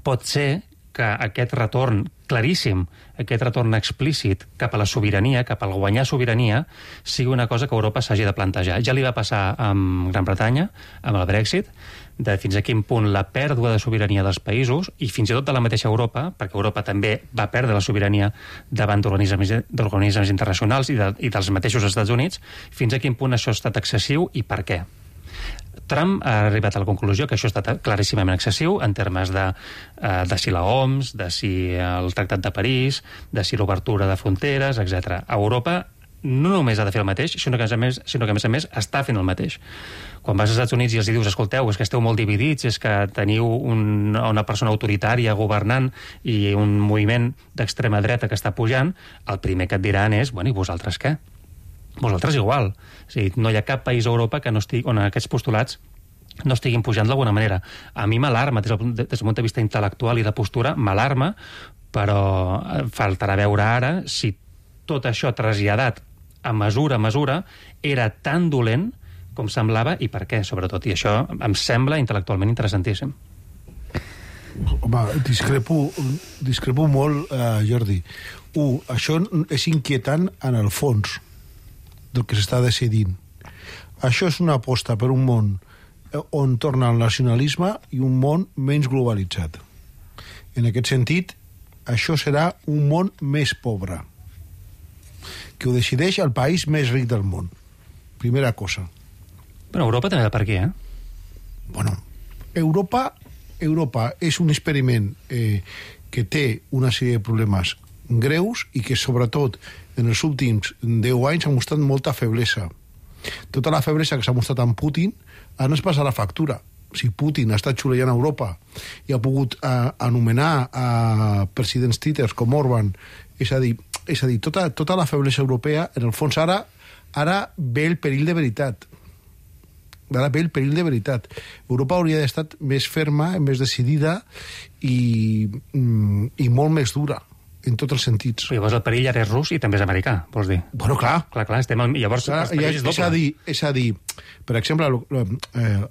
pot ser que aquest retorn claríssim, aquest retorn explícit cap a la sobirania, cap al guanyar sobirania, sigui una cosa que Europa s'hagi de plantejar. Ja li va passar amb Gran Bretanya, amb el Brexit, de fins a quin punt la pèrdua de sobirania dels països, i fins i tot de la mateixa Europa, perquè Europa també va perdre la sobirania davant d'organismes internacionals i, de, i dels mateixos Estats Units, fins a quin punt això ha estat excessiu i per què. Trump ha arribat a la conclusió que això ha estat claríssimament excessiu en termes de, de si la O M S, de si el Tractat de París, de si l'obertura de fronteres, etcètera. Europa no només ha de fer el mateix, sinó que, a més, sinó que a més a més està fent el mateix. Quan vas als Estats Units i els dius, escolteu, és que esteu molt dividits, és que teniu un, una persona autoritària governant i un moviment d'extrema dreta que està pujant, el primer que et diran és, bueno, i vosaltres què? Vosaltres igual. O sigui, no hi ha cap país a Europa que no estigui, on aquests postulats no estiguin pujant d'alguna manera. A mi m'alarma, des del, des del punt de vista intel·lectual i de postura, m'alarma, però faltarà veure ara si tot això traslladat a mesura a mesura era tan dolent com semblava i per què, sobretot. I això em sembla intel·lectualment interessantíssim. Home, discrepo, discrepo molt, eh, Jordi. Un, això és inquietant en el fons del que s'està decidint. Això és una aposta per un món on torna el nacionalisme i un món menys globalitzat. En aquest sentit, això serà un món més pobre, que ho decideix el país més ric del món. Primera cosa. Però Europa també va per aquí, eh? Bueno, Europa, Europa és un experiment eh, que té una sèrie de problemes greus i que, sobretot, en els últims deu anys ha mostrat molta feblesa. Tota la feblesa que s'ha mostrat amb Putin ara ens passa la factura. si Putin ha estat xulejant a Europa i ha pogut uh, anomenar a uh, presidents títeres com Orban, és a dir, és a dir tota, tota la feblesa europea, en el fons ara, ara ve el perill de veritat. Ara ve el perill de veritat. Europa hauria d'estar més ferma, més decidida i, i molt més dura en tots els sentits. Però llavors el perill ara és rus i també és americà, vols dir? Bueno, clar. Clar, clar, estem al... Llavors clar, el perill és doble. És a dir, és a dir per exemple, el,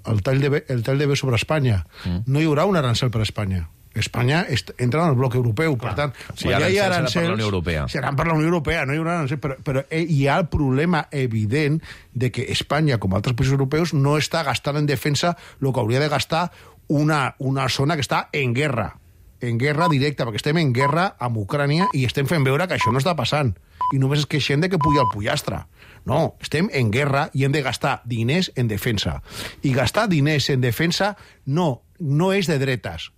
el, tall de, el tall de bé sobre Espanya, mm. no hi haurà un arancel per a Espanya. Espanya entra en el bloc europeu, clar. Per tant, si quan hi ha arancels, seran per la Unió Europea, no hi haurà arancels, però, però hi ha el problema evident de que Espanya, com altres països europeus, no està gastant en defensa el que hauria de gastar una, una zona que està en guerra. En guerra directa, perquè estem en guerra amb Ucrània i estem fent veure que això no està passant. I només es queixem de que puja el pollastre. No, estem en guerra i hem de gastar diners en defensa. I gastar diners en defensa no, no és de dretes.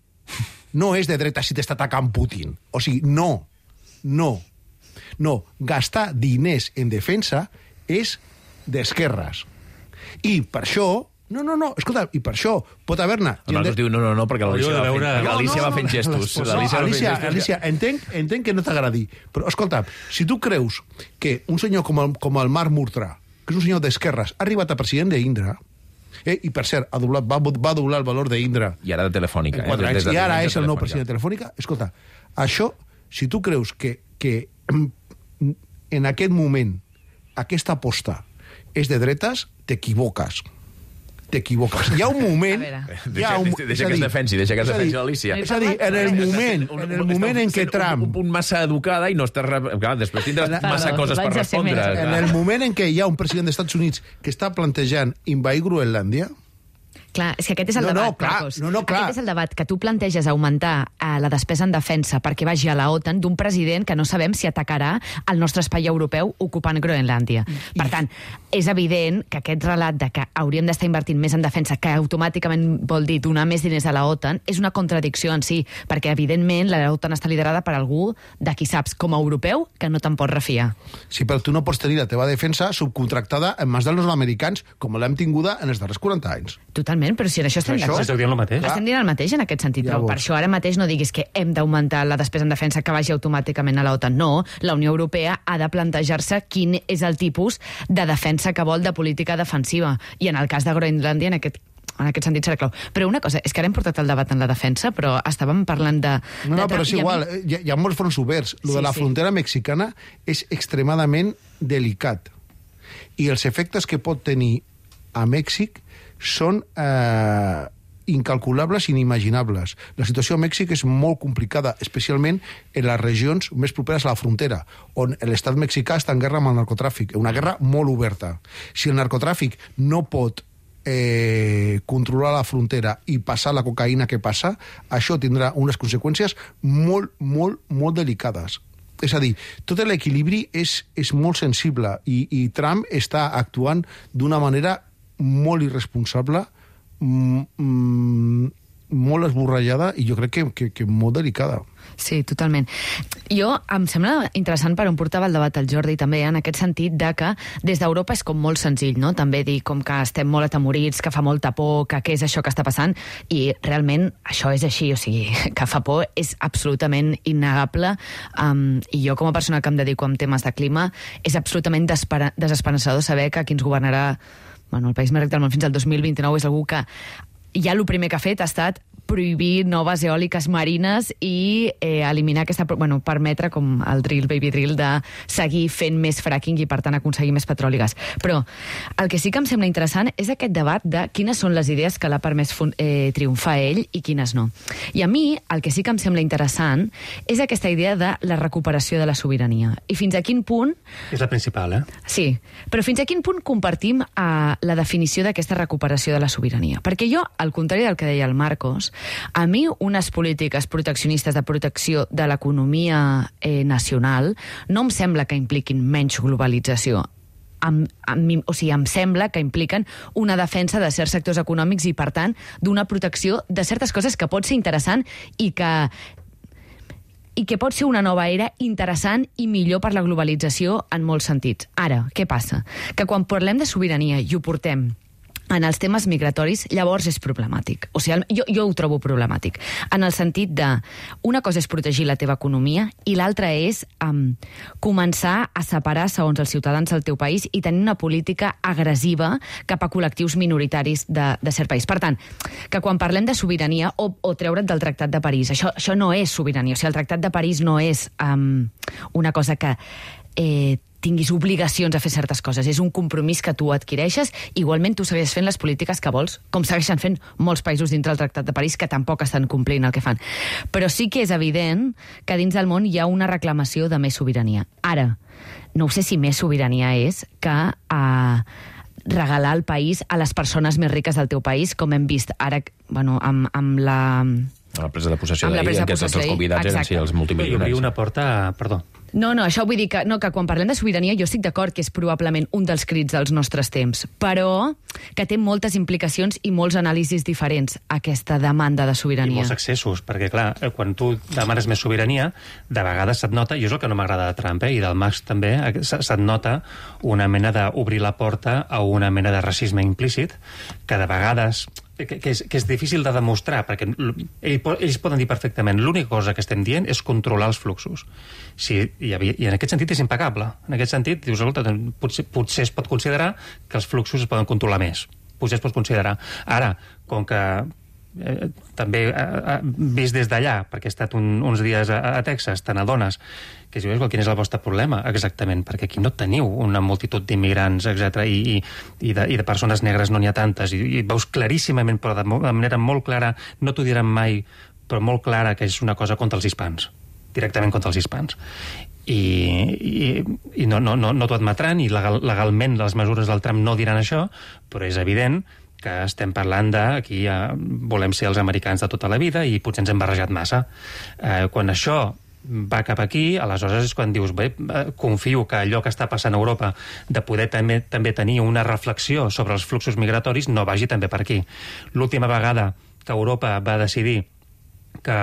No és de dretes si t'està atacant Putin. O sigui, no. No. No. Gastar diners en defensa és d'esquerres. I per això... No, no, no, escolta, i per això pot haver-ne... El Marcos diu no, no, no, perquè l'Alicia va, veure... no, no, va fent gestos. No, Alicia, Alicia, Alicia entenc, entenc que no t'agradi, però escolta, si tu creus que un senyor com el, com el Marc Murtra, que és un senyor d'esquerres, ha arribat a president d'Indra, eh, i per cert, ha doblat, va, va doblar el valor d'Indra... I ara de Telefònica. Eh, anys, de I ara és el nou president de Telefònica. Escolta, això, si tu creus que, que en aquest moment aquesta aposta és de dretes, t'equivoques. T'equivoques. Hi ha un moment... Deixa, un, deixa que es defensi, deixa que es defensi l'Alicia. És a dir, en el moment, en el moment en què Trump... Un punt massa educada i no estàs... Clar, després tindràs massa coses per respondre. En el moment en què hi ha un president dels Estats Units que està plantejant invair Groenlàndia... Clar, és que aquest és el no, debat, no, clar, Marcos. No, no, clar. Aquest és el debat, que tu planteges augmentar eh, la despesa en defensa perquè vagi a la OTAN d'un president que no sabem si atacarà el nostre espai europeu ocupant Groenlàndia. I... Per tant, és evident que aquest relat de que hauríem d'estar invertint més en defensa, que automàticament vol dir donar més diners a la OTAN, és una contradicció en si, perquè evidentment la OTAN està liderada per algú de qui saps, com a europeu, que no te'n pots refiar. Sí, però tu no pots tenir la teva defensa subcontractada en mans dels nord-americans, com l'hem tinguda en els darrers quaranta anys. Totalment, però si en això estem d'acord. Estem dient el mateix. Estem dient el mateix en aquest sentit, però per això ara mateix no diguis que hem d'augmentar la despesa en defensa que vagi automàticament a la OTAN. No, la Unió Europea ha de plantejar-se quin és el tipus de defensa que vol de política defensiva. I en el cas de Groenlàndia, en aquest en aquest sentit serà clau. Però una cosa, és que ara hem portat el debat en la defensa, però estàvem parlant de... No, no, de... però és igual, mi... hi, ha, hi ha molts fronts oberts. Lo sí, de la sí. frontera mexicana és extremadament delicat. I els efectes que pot tenir a Mèxic són eh, incalculables i inimaginables. La situació a Mèxic és molt complicada, especialment en les regions més properes a la frontera, on l'estat mexicà està en guerra amb el narcotràfic, una guerra molt oberta. Si el narcotràfic no pot eh, controlar la frontera i passar la cocaïna que passa, això tindrà unes conseqüències molt, molt, molt delicades. És a dir, tot l'equilibri és, és molt sensible i, i Trump està actuant d'una manera molt irresponsable, mm, molt esborrallada i jo crec que, que, que molt delicada. Sí, totalment. Jo, em sembla interessant per on portava el debat el Jordi també, en aquest sentit de que des d'Europa és com molt senzill, no? També dir com que estem molt atemorits, que fa molta por, que què és això que està passant, i realment això és així, o sigui, que fa por és absolutament innegable, um, i jo com a persona que em dedico a temes de clima, és absolutament desesperançador saber que qui ens governarà, bueno, el país més ric del món fins al dos mil vint-i-nou és algú que ja el primer que ha fet ha estat prohibir noves eòliques marines i eh, eliminar aquesta... Bueno, permetre, com el drill, baby drill, de seguir fent més fracking i, per tant, aconseguir més petroli i gas. Però el que sí que em sembla interessant és aquest debat de quines són les idees que l'ha permès eh, triomfar ell i quines no. I a mi, el que sí que em sembla interessant és aquesta idea de la recuperació de la sobirania. I fins a quin punt... És la principal, eh? Sí, però fins a quin punt compartim eh, la definició d'aquesta recuperació de la sobirania? Perquè jo, al contrari del que deia el Marcos, a mi unes polítiques proteccionistes de protecció de l'economia eh, nacional no em sembla que impliquin menys globalització. Em, em, o sigui, em sembla que impliquen una defensa de certs sectors econòmics i, per tant, d'una protecció de certes coses que pot ser interessant i que i que pot ser una nova era interessant i millor per la globalització en molts sentits. Ara, què passa? Que quan parlem de sobirania i ho portem en els temes migratoris, llavors és problemàtic. O sigui, jo, jo ho trobo problemàtic. En el sentit de, una cosa és protegir la teva economia i l'altra és um, començar a separar segons els ciutadans del teu país i tenir una política agressiva cap a col·lectius minoritaris de, de cert país. Per tant, que quan parlem de sobirania o, o treure't del Tractat de París, això, això no és sobirania. O sigui, el Tractat de París no és um, una cosa que eh, tinguis obligacions a fer certes coses. És un compromís que tu adquireixes. Igualment, tu segueixes fent les polítiques que vols, com segueixen fent molts països dintre del Tractat de París que tampoc estan complint el que fan. Però sí que és evident que dins del món hi ha una reclamació de més sobirania. Ara, no ho sé si més sobirania és que eh, regalar el país a les persones més riques del teu país, com hem vist ara, bueno, amb, amb la... A la presa de possessió d'ahir, en què tots els convidats eren sí, els multimilionaris. I obrir una porta... Perdó. No, no, això vull dir que, no, que quan parlem de sobirania jo estic d'acord que és probablement un dels crits dels nostres temps, però que té moltes implicacions i molts anàlisis diferents, aquesta demanda de sobirania. I molts accessos, perquè clar, quan tu demanes més sobirania, de vegades se't nota, i és el que no m'agrada de Trump, eh, i del Max també, se't nota una mena d'obrir la porta a una mena de racisme implícit, que de vegades... Que, que, és, que és difícil de demostrar, perquè ell, ells poden dir perfectament l'única cosa que estem dient és controlar els fluxos. Si, i, I en aquest sentit és impecable. En aquest sentit, dius, escolta, potser, potser es pot considerar que els fluxos es poden controlar més. Potser es pot considerar. Ara, com que eh, també eh, vist des d'allà, perquè he estat un, uns dies a, a Texas, te n'adones que dius, quin és el vostre problema? Exactament, perquè aquí no teniu una multitud d'immigrants, etcètera, i, i, i, de, i de persones negres no n'hi ha tantes, i, i veus claríssimament, però de, de manera molt clara, no t'ho diran mai, però molt clara, que és una cosa contra els hispans, directament contra els hispans. I, i, i no, no, no, no t'ho admetran, i legal, legalment les mesures del Trump no diran això, però és evident que estem parlant de aquí eh, volem ser els americans de tota la vida i potser ens hem barrejat massa. Eh, quan això va cap aquí, aleshores és quan dius, bé, confio que allò que està passant a Europa de poder també, també tenir una reflexió sobre els fluxos migratoris no vagi també per aquí. L'última vegada que Europa va decidir que,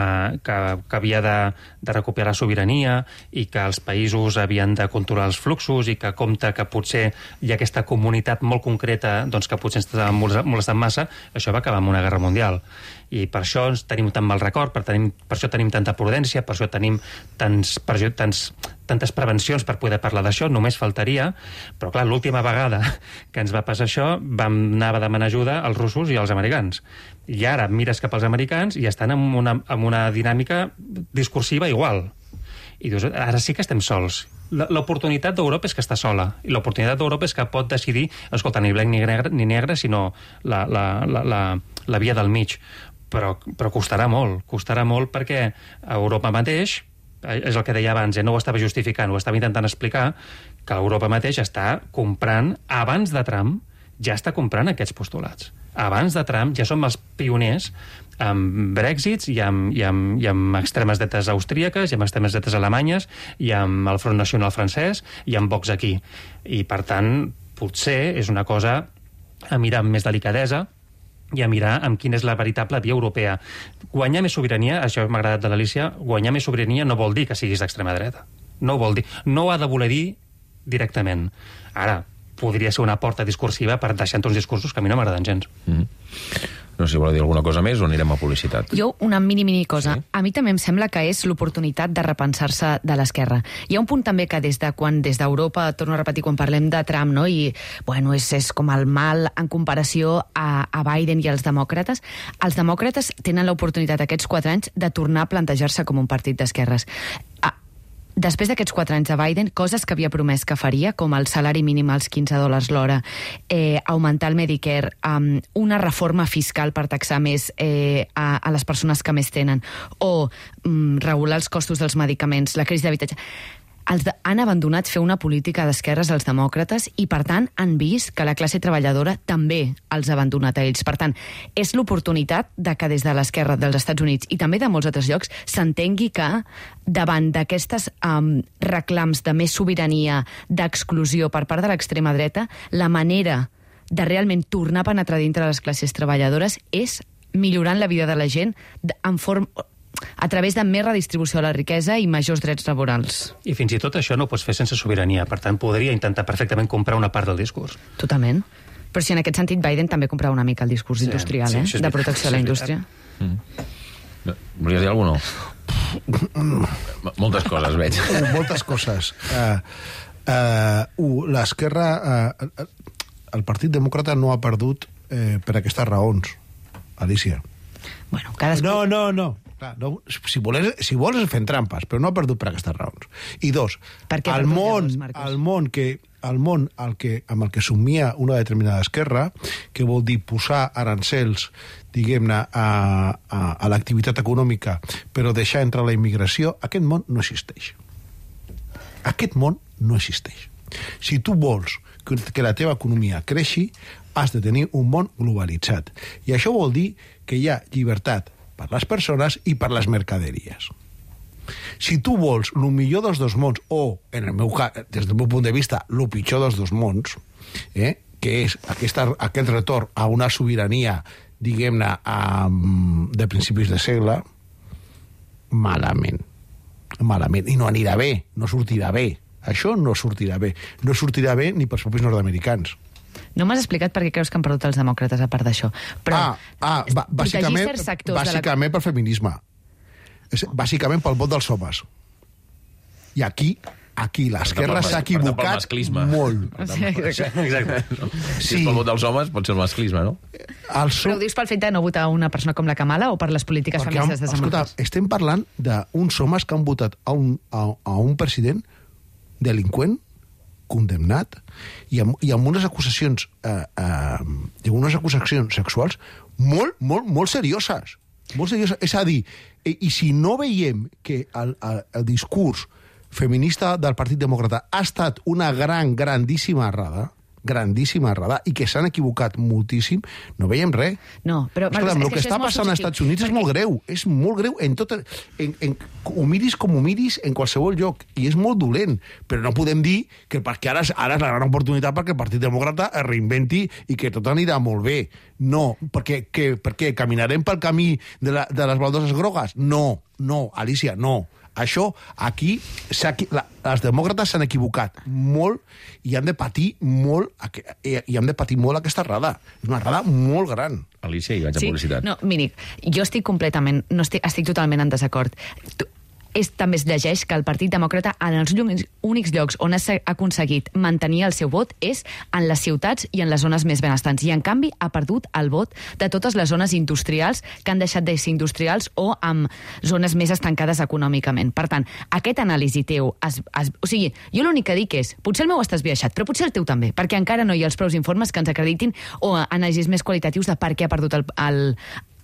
que, que havia de, de recuperar sobirania i que els països havien de controlar els fluxos i que compta que potser hi ha aquesta comunitat molt concreta doncs que potser ens està molestant massa, això va acabar amb una guerra mundial. I per això ens tenim tan mal record, per, tenim, per això tenim tanta prudència, per això tenim tants, per això, tants, tantes prevencions per poder parlar d'això, només faltaria, però clar, l'última vegada que ens va passar això vam anar a demanar ajuda als russos i als americans. I ara mires cap als americans i estan en una, en una dinàmica discursiva igual. I dius, ara sí que estem sols. L'oportunitat d'Europa és que està sola, i l'oportunitat d'Europa és que pot decidir, escolta, ni blanc ni negre, ni negre sinó la, la, la, la, la via del mig. Però, però costarà molt, costarà molt perquè Europa mateix, és el que deia abans, eh, no ho estava justificant, ho estava intentant explicar, que Europa mateix està comprant, abans de Trump, ja està comprant aquests postulats. Abans de Trump ja som els pioners amb Brexits i amb, i amb, i amb extremes dretes austríaques, i amb extremes dretes alemanyes, i amb el Front Nacional francès, i amb Vox aquí. I, per tant, potser és una cosa a mirar amb més delicadesa, i a mirar amb quina és la veritable via europea. Guanyar més sobirania, això m'ha agradat de l'Alícia, guanyar més sobirania no vol dir que siguis d'extrema dreta. No ho vol dir. No ho ha de voler dir directament. Ara, podria ser una porta discursiva per deixar uns discursos que a mi no m'agraden gens. Mm-hmm. No sé si vol dir alguna cosa més o anirem a publicitat. Jo, una mini, mini cosa. Sí? A mi també em sembla que és l'oportunitat de repensar-se de l'esquerra. Hi ha un punt també que des de quan des d'Europa, torno a repetir, quan parlem de Trump, no? I, bueno, és, és com el mal en comparació a, a Biden i als demòcrates. Els demòcrates tenen l'oportunitat aquests quatre anys de tornar a plantejar-se com un partit d'esquerres. Ah, després d'aquests quatre anys de Biden, coses que havia promès que faria, com el salari mínim als quinze dòlars l'hora, eh, augmentar el Medicare, um, una reforma fiscal per taxar més eh, a, a les persones que més tenen, o um, regular els costos dels medicaments, la crisi d'habitatge... Els de, han abandonat fer una política d'esquerres als demòcrates i, per tant, han vist que la classe treballadora també els ha abandonat a ells. Per tant, és l'oportunitat de que des de l'esquerra dels Estats Units i també de molts altres llocs s'entengui que davant d'aquestes um, reclams de més sobirania, d'exclusió per part de l'extrema dreta, la manera de realment tornar a penetrar dintre de les classes treballadores és millorant la vida de la gent en forma... a través de més redistribució de la riquesa i majors drets laborals. I fins i tot això no ho pots fer sense sobirania. Per tant, podria intentar perfectament comprar una part del discurs. Totalment. Però si en aquest sentit Biden també comprava una mica el discurs sí, industrial, sí, eh? De protecció de la indústria. Mm. Volies dir alguna cosa, no? Moltes coses, veig. Moltes coses. Uh, uh, L'esquerra... Uh, el Partit Demòcrata no ha perdut eh, per aquestes raons, Alicia. Bueno, cadascú... No, no, no. Clar, no si, voles, si vols fent trampes, però no ha perdut per aquestes raons. I dos, el món, el món, que, el món el que, amb el que somia una determinada esquerra, que vol dir posar arancels, diguem-ne, a, a, a l'activitat econòmica, però deixar entrar la immigració, aquest món no existeix. Aquest món no existeix. Si tu vols que la teva economia creixi, has de tenir un món globalitzat. I això vol dir que hi ha llibertat per les persones i per les mercaderies. Si tu vols el millor dels dos mons, o, en el meu cas, des del meu punt de vista, el pitjor dels dos mons, eh, que és aquesta, aquest retorn a una sobirania, diguem-ne, de principis de segle, malament. Malament. I no anirà bé, no sortirà bé. Això no sortirà bé. No sortirà bé ni pels propis nord-americans. No m'has explicat per què creus que han perdut els demòcrates a part d'això. Però ah, ah, ba bàsicament, bàsicament la... per feminisme. Bàsicament pel vot dels homes. I aquí, aquí l'esquerra s'ha equivocat molt. Sí, exacte. Si és pel vot dels homes, pot ser el masclisme, no? El so... Però ho dius pel fet de no votar una persona com la Kamala o per les polítiques Perquè feministes de escolta, estem parlant d'uns homes que han votat a un, a, a un president delinqüent, condemnat, i amb, i amb unes acusacions eh, eh, unes acusacions sexuals molt, molt, molt serioses. Molt serioses. És a dir, i, i si no veiem que el, el, el discurs feminista del Partit Demòcrata ha estat una gran, grandíssima errada, grandíssima errada, i que s'han equivocat moltíssim, no veiem res. No, però... Escolta, el que està passant als Estats Units és molt greu, és molt greu en tot... En, en, ho miris com ho miris en qualsevol lloc, i és molt dolent, però no podem dir que perquè ara, ara és la gran oportunitat perquè el Partit Demòcrata es reinventi i que tot anirà molt bé. No, perquè, que, perquè caminarem pel camí de, la, de les baldoses grogues? No, no, Alicia, no. Això, aquí, la, els demòcrates s'han equivocat molt i han de patir molt i han de patir molt aquesta errada. És una errada molt gran. Alicia, i vaig a sí, publicitat. No, Míric, jo estic completament, no estic, estic totalment en desacord. Tu, és, també es llegeix que el Partit Demòcrata en els únics llocs on ha aconseguit mantenir el seu vot és en les ciutats i en les zones més benestants. I, en canvi, ha perdut el vot de totes les zones industrials que han deixat de ser industrials o amb zones més estancades econòmicament. Per tant, aquest anàlisi teu... Es, es, o sigui, jo l'únic que dic és, potser el meu està esbiaixat, però potser el teu també, perquè encara no hi ha els prous informes que ens acreditin o anàlisis més qualitatius de per què ha perdut el, el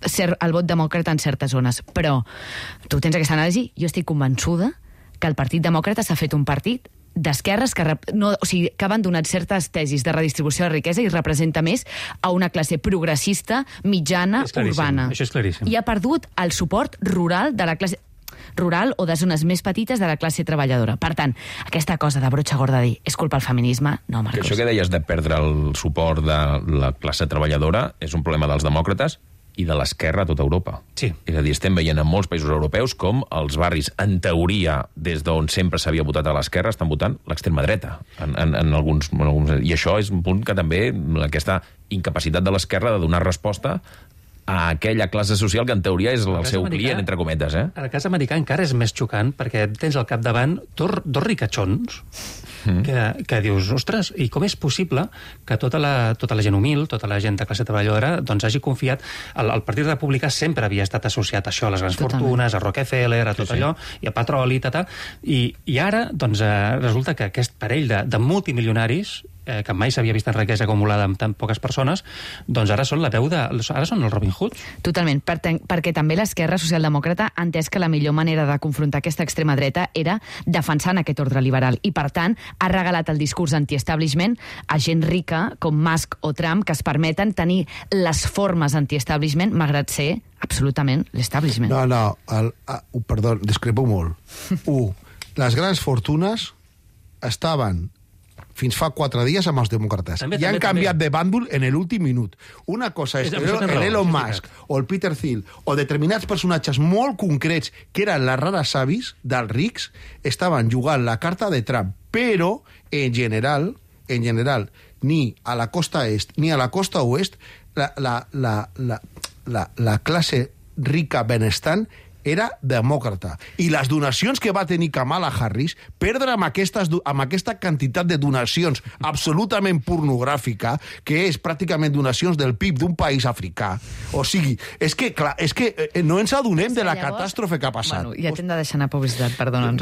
ser el vot demòcrata en certes zones. Però tu tens aquesta anàlisi, jo estic convençuda que el Partit Demòcrata s'ha fet un partit d'esquerres que, no, o sigui, que ha abandonat certes tesis de redistribució de riquesa i representa més a una classe progressista, mitjana, urbana. Això és claríssim. I ha perdut el suport rural de la classe rural o de zones més petites de la classe treballadora. Per tant, aquesta cosa de brotxa gorda de dir és culpa del feminisme, no, Marcos. Que això que deies de perdre el suport de la classe treballadora és un problema dels demòcrates i de l'esquerra a tota Europa. Sí. És a dir, estem veient en molts països europeus com els barris, en teoria, des d'on sempre s'havia votat a l'esquerra, estan votant l'extrema dreta. En, en, en alguns, en alguns... I això és un punt que també, aquesta incapacitat de l'esquerra de donar resposta a aquella classe social que en teoria és el, el seu americà, client, entre cometes. Eh? En el cas americà encara és més xocant perquè tens al capdavant dos, dos ricachons mm. que, que dius, ostres, i com és possible que tota la, tota la gent humil, tota la gent de classe treballadora, doncs hagi confiat... El, el Partit Republicà sempre havia estat associat a això, a les grans Totalment. fortunes, a Rockefeller, a tot sí, allò, sí. i a petroli, tata, i, i ara doncs, eh, resulta que aquest parell de, de multimilionaris eh, que mai s'havia vist en riquesa acumulada amb tan poques persones, doncs ara són la veu de... Ara són el Robin Hood. Totalment, per perquè també l'esquerra socialdemòcrata ha entès que la millor manera de confrontar aquesta extrema dreta era defensant aquest ordre liberal i, per tant, ha regalat el discurs anti-establishment a gent rica com Musk o Trump que es permeten tenir les formes anti-establishment malgrat ser absolutament l'establishment. No, no, el, uh, perdó, discrepo molt. Un, les grans fortunes estaven fins fa quatre dies amb els demòcrates. També, I han també, canviat també. de bàndol en l'últim minut. Una cosa és, és l'Elon Musk o el Peter Thiel o determinats personatges molt concrets que eren les rares avis dels rics estaven jugant la carta de Trump, però en general, en general ni a la costa est ni a la costa oest la, la, la, la, la, la classe rica benestant era demòcrata. I les donacions que va tenir Kamala Harris, perdre amb, aquestes, amb aquesta quantitat de donacions absolutament pornogràfica, que és pràcticament donacions del P I B d'un país africà. O sigui, és que, clar, és que no ens adonem de la catàstrofe que ha passat. Bueno, ja t'hem de deixar anar publicitat, perdona'ns.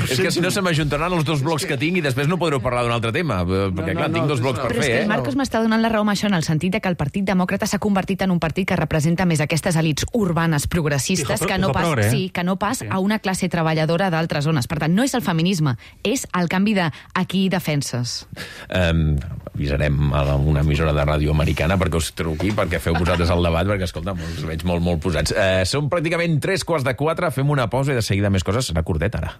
És que si no se m'ajuntaran els dos blocs que tinc i després no podreu parlar d'un altre tema, perquè clar, tinc dos blocs per fer. Però és que el Marcos m'està donant la raó amb això, en el sentit que el Partit Demòcrata s'ha convertit en un partit que representa més aquestes elits urbanes progressistes que no pas, sí, que no pas a una classe treballadora d'altres zones. Per tant, no és el feminisme, és el canvi de a qui defenses. Um, avisarem a una emissora de ràdio americana perquè us truqui, perquè feu vosaltres el debat, perquè, escolta, us veig molt, molt posats. Uh, som pràcticament tres quarts de quatre, fem una pausa i de seguida més coses. Serà curtet, ara.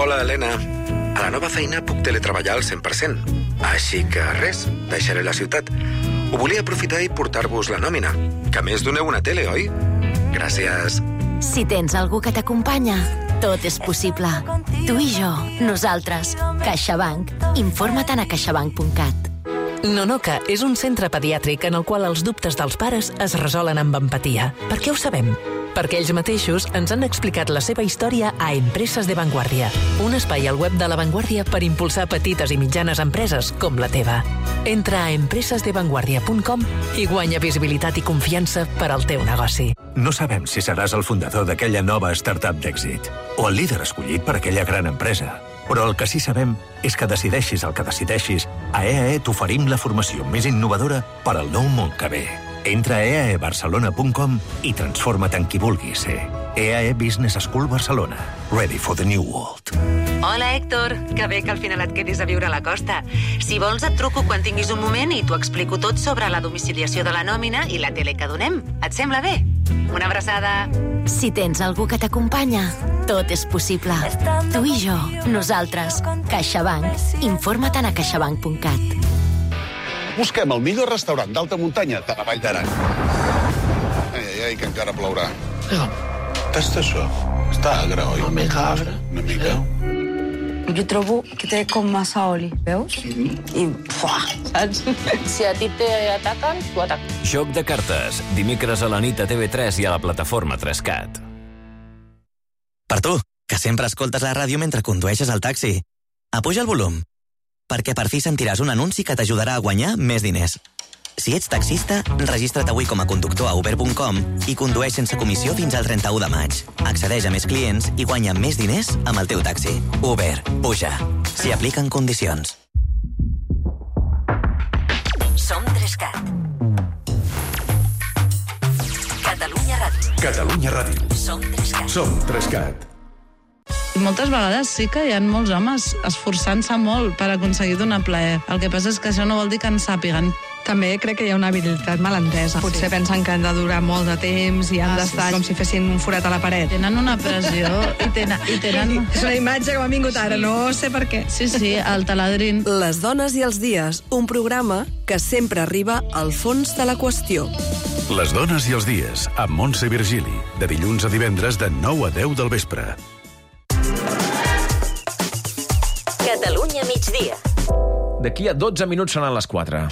Hola, Helena. A la nova feina puc teletreballar al cent per cent. Així que res, deixaré la ciutat. Ho volia aprofitar i portar-vos la nòmina. Que a més doneu una tele, oi? Gràcies. Si tens algú que t'acompanya, tot és possible. Tu i jo, nosaltres. CaixaBank. Informa't a caixabank punt cat. Nonoca és un centre pediàtric en el qual els dubtes dels pares es resolen amb empatia. Per què ho sabem? Perquè ells mateixos ens han explicat la seva història a Empreses de Vanguardia, un espai al web de La Vanguardia per impulsar petites i mitjanes empreses com la teva. Entra a empreses de vanguardia punt com i guanya visibilitat i confiança per al teu negoci. No sabem si seràs el fundador d'aquella nova startup d'èxit o el líder escollit per aquella gran empresa. Però el que sí sabem és que decideixis el que decideixis, a E A E t'oferim la formació més innovadora per al nou món que ve. Entra a e a e barcelona punt com i transforma't en qui vulguis ser. E A E Business School Barcelona. Ready for the new world. Hola, Héctor. Que bé que al final et quedis a viure a la costa. Si vols et truco quan tinguis un moment i t'ho explico tot sobre la domiciliació de la nòmina i la tele que donem. Et sembla bé? Una abraçada. Si tens algú que t'acompanya, tot és possible. Tu i jo, nosaltres. CaixaBank. Informa't a caixabank punt cat. Busquem el millor restaurant d'alta muntanya de la Vall d'Aran. Ai, ai, ai, que encara plourà. Tasta això. Està agre, oi? Una mica agre. Una mica. Jo trobo que té com massa oli, veus? I, fuà, saps? Si a ti t'ataquen, tu ataquen. Joc de cartes. Dimecres a la nit a T V tres i a la plataforma tres cat. Per tu, que sempre escoltes la ràdio mentre condueixes el taxi. Apuja el volum, perquè per fi sentiràs un anunci que t'ajudarà a guanyar més diners. Si ets taxista, registra't avui com a conductor a uber punt com i condueix sense comissió fins al trenta-u de maig. Accedeix a més clients i guanya més diners amb el teu taxi. Uber. Puja. S'hi apliquen condicions. Som tres cat. Catalunya Ràdio. Catalunya Ràdio. Som tres cat. Som tres cat. Moltes vegades sí que hi ha molts homes esforçant-se molt per aconseguir donar plaer. El que passa és que això no vol dir que en sàpiguen. També crec que hi ha una habilitat malentesa. Potser sí. Pensen que han de durar molt de temps i han ah, d'estar sí, sí. com si fessin un forat a la paret. Tenen una pressió i tenen... I tenen... És una imatge que m'ha vingut ara, sí. No sé per què. Sí, sí, el taladrin. Les dones i els dies, un programa que sempre arriba al fons de la qüestió. Les dones i els dies, amb Montse Virgili, de dilluns a divendres de nou a deu del vespre. Catalunya migdia. D'aquí a dotze minuts seran les quatre.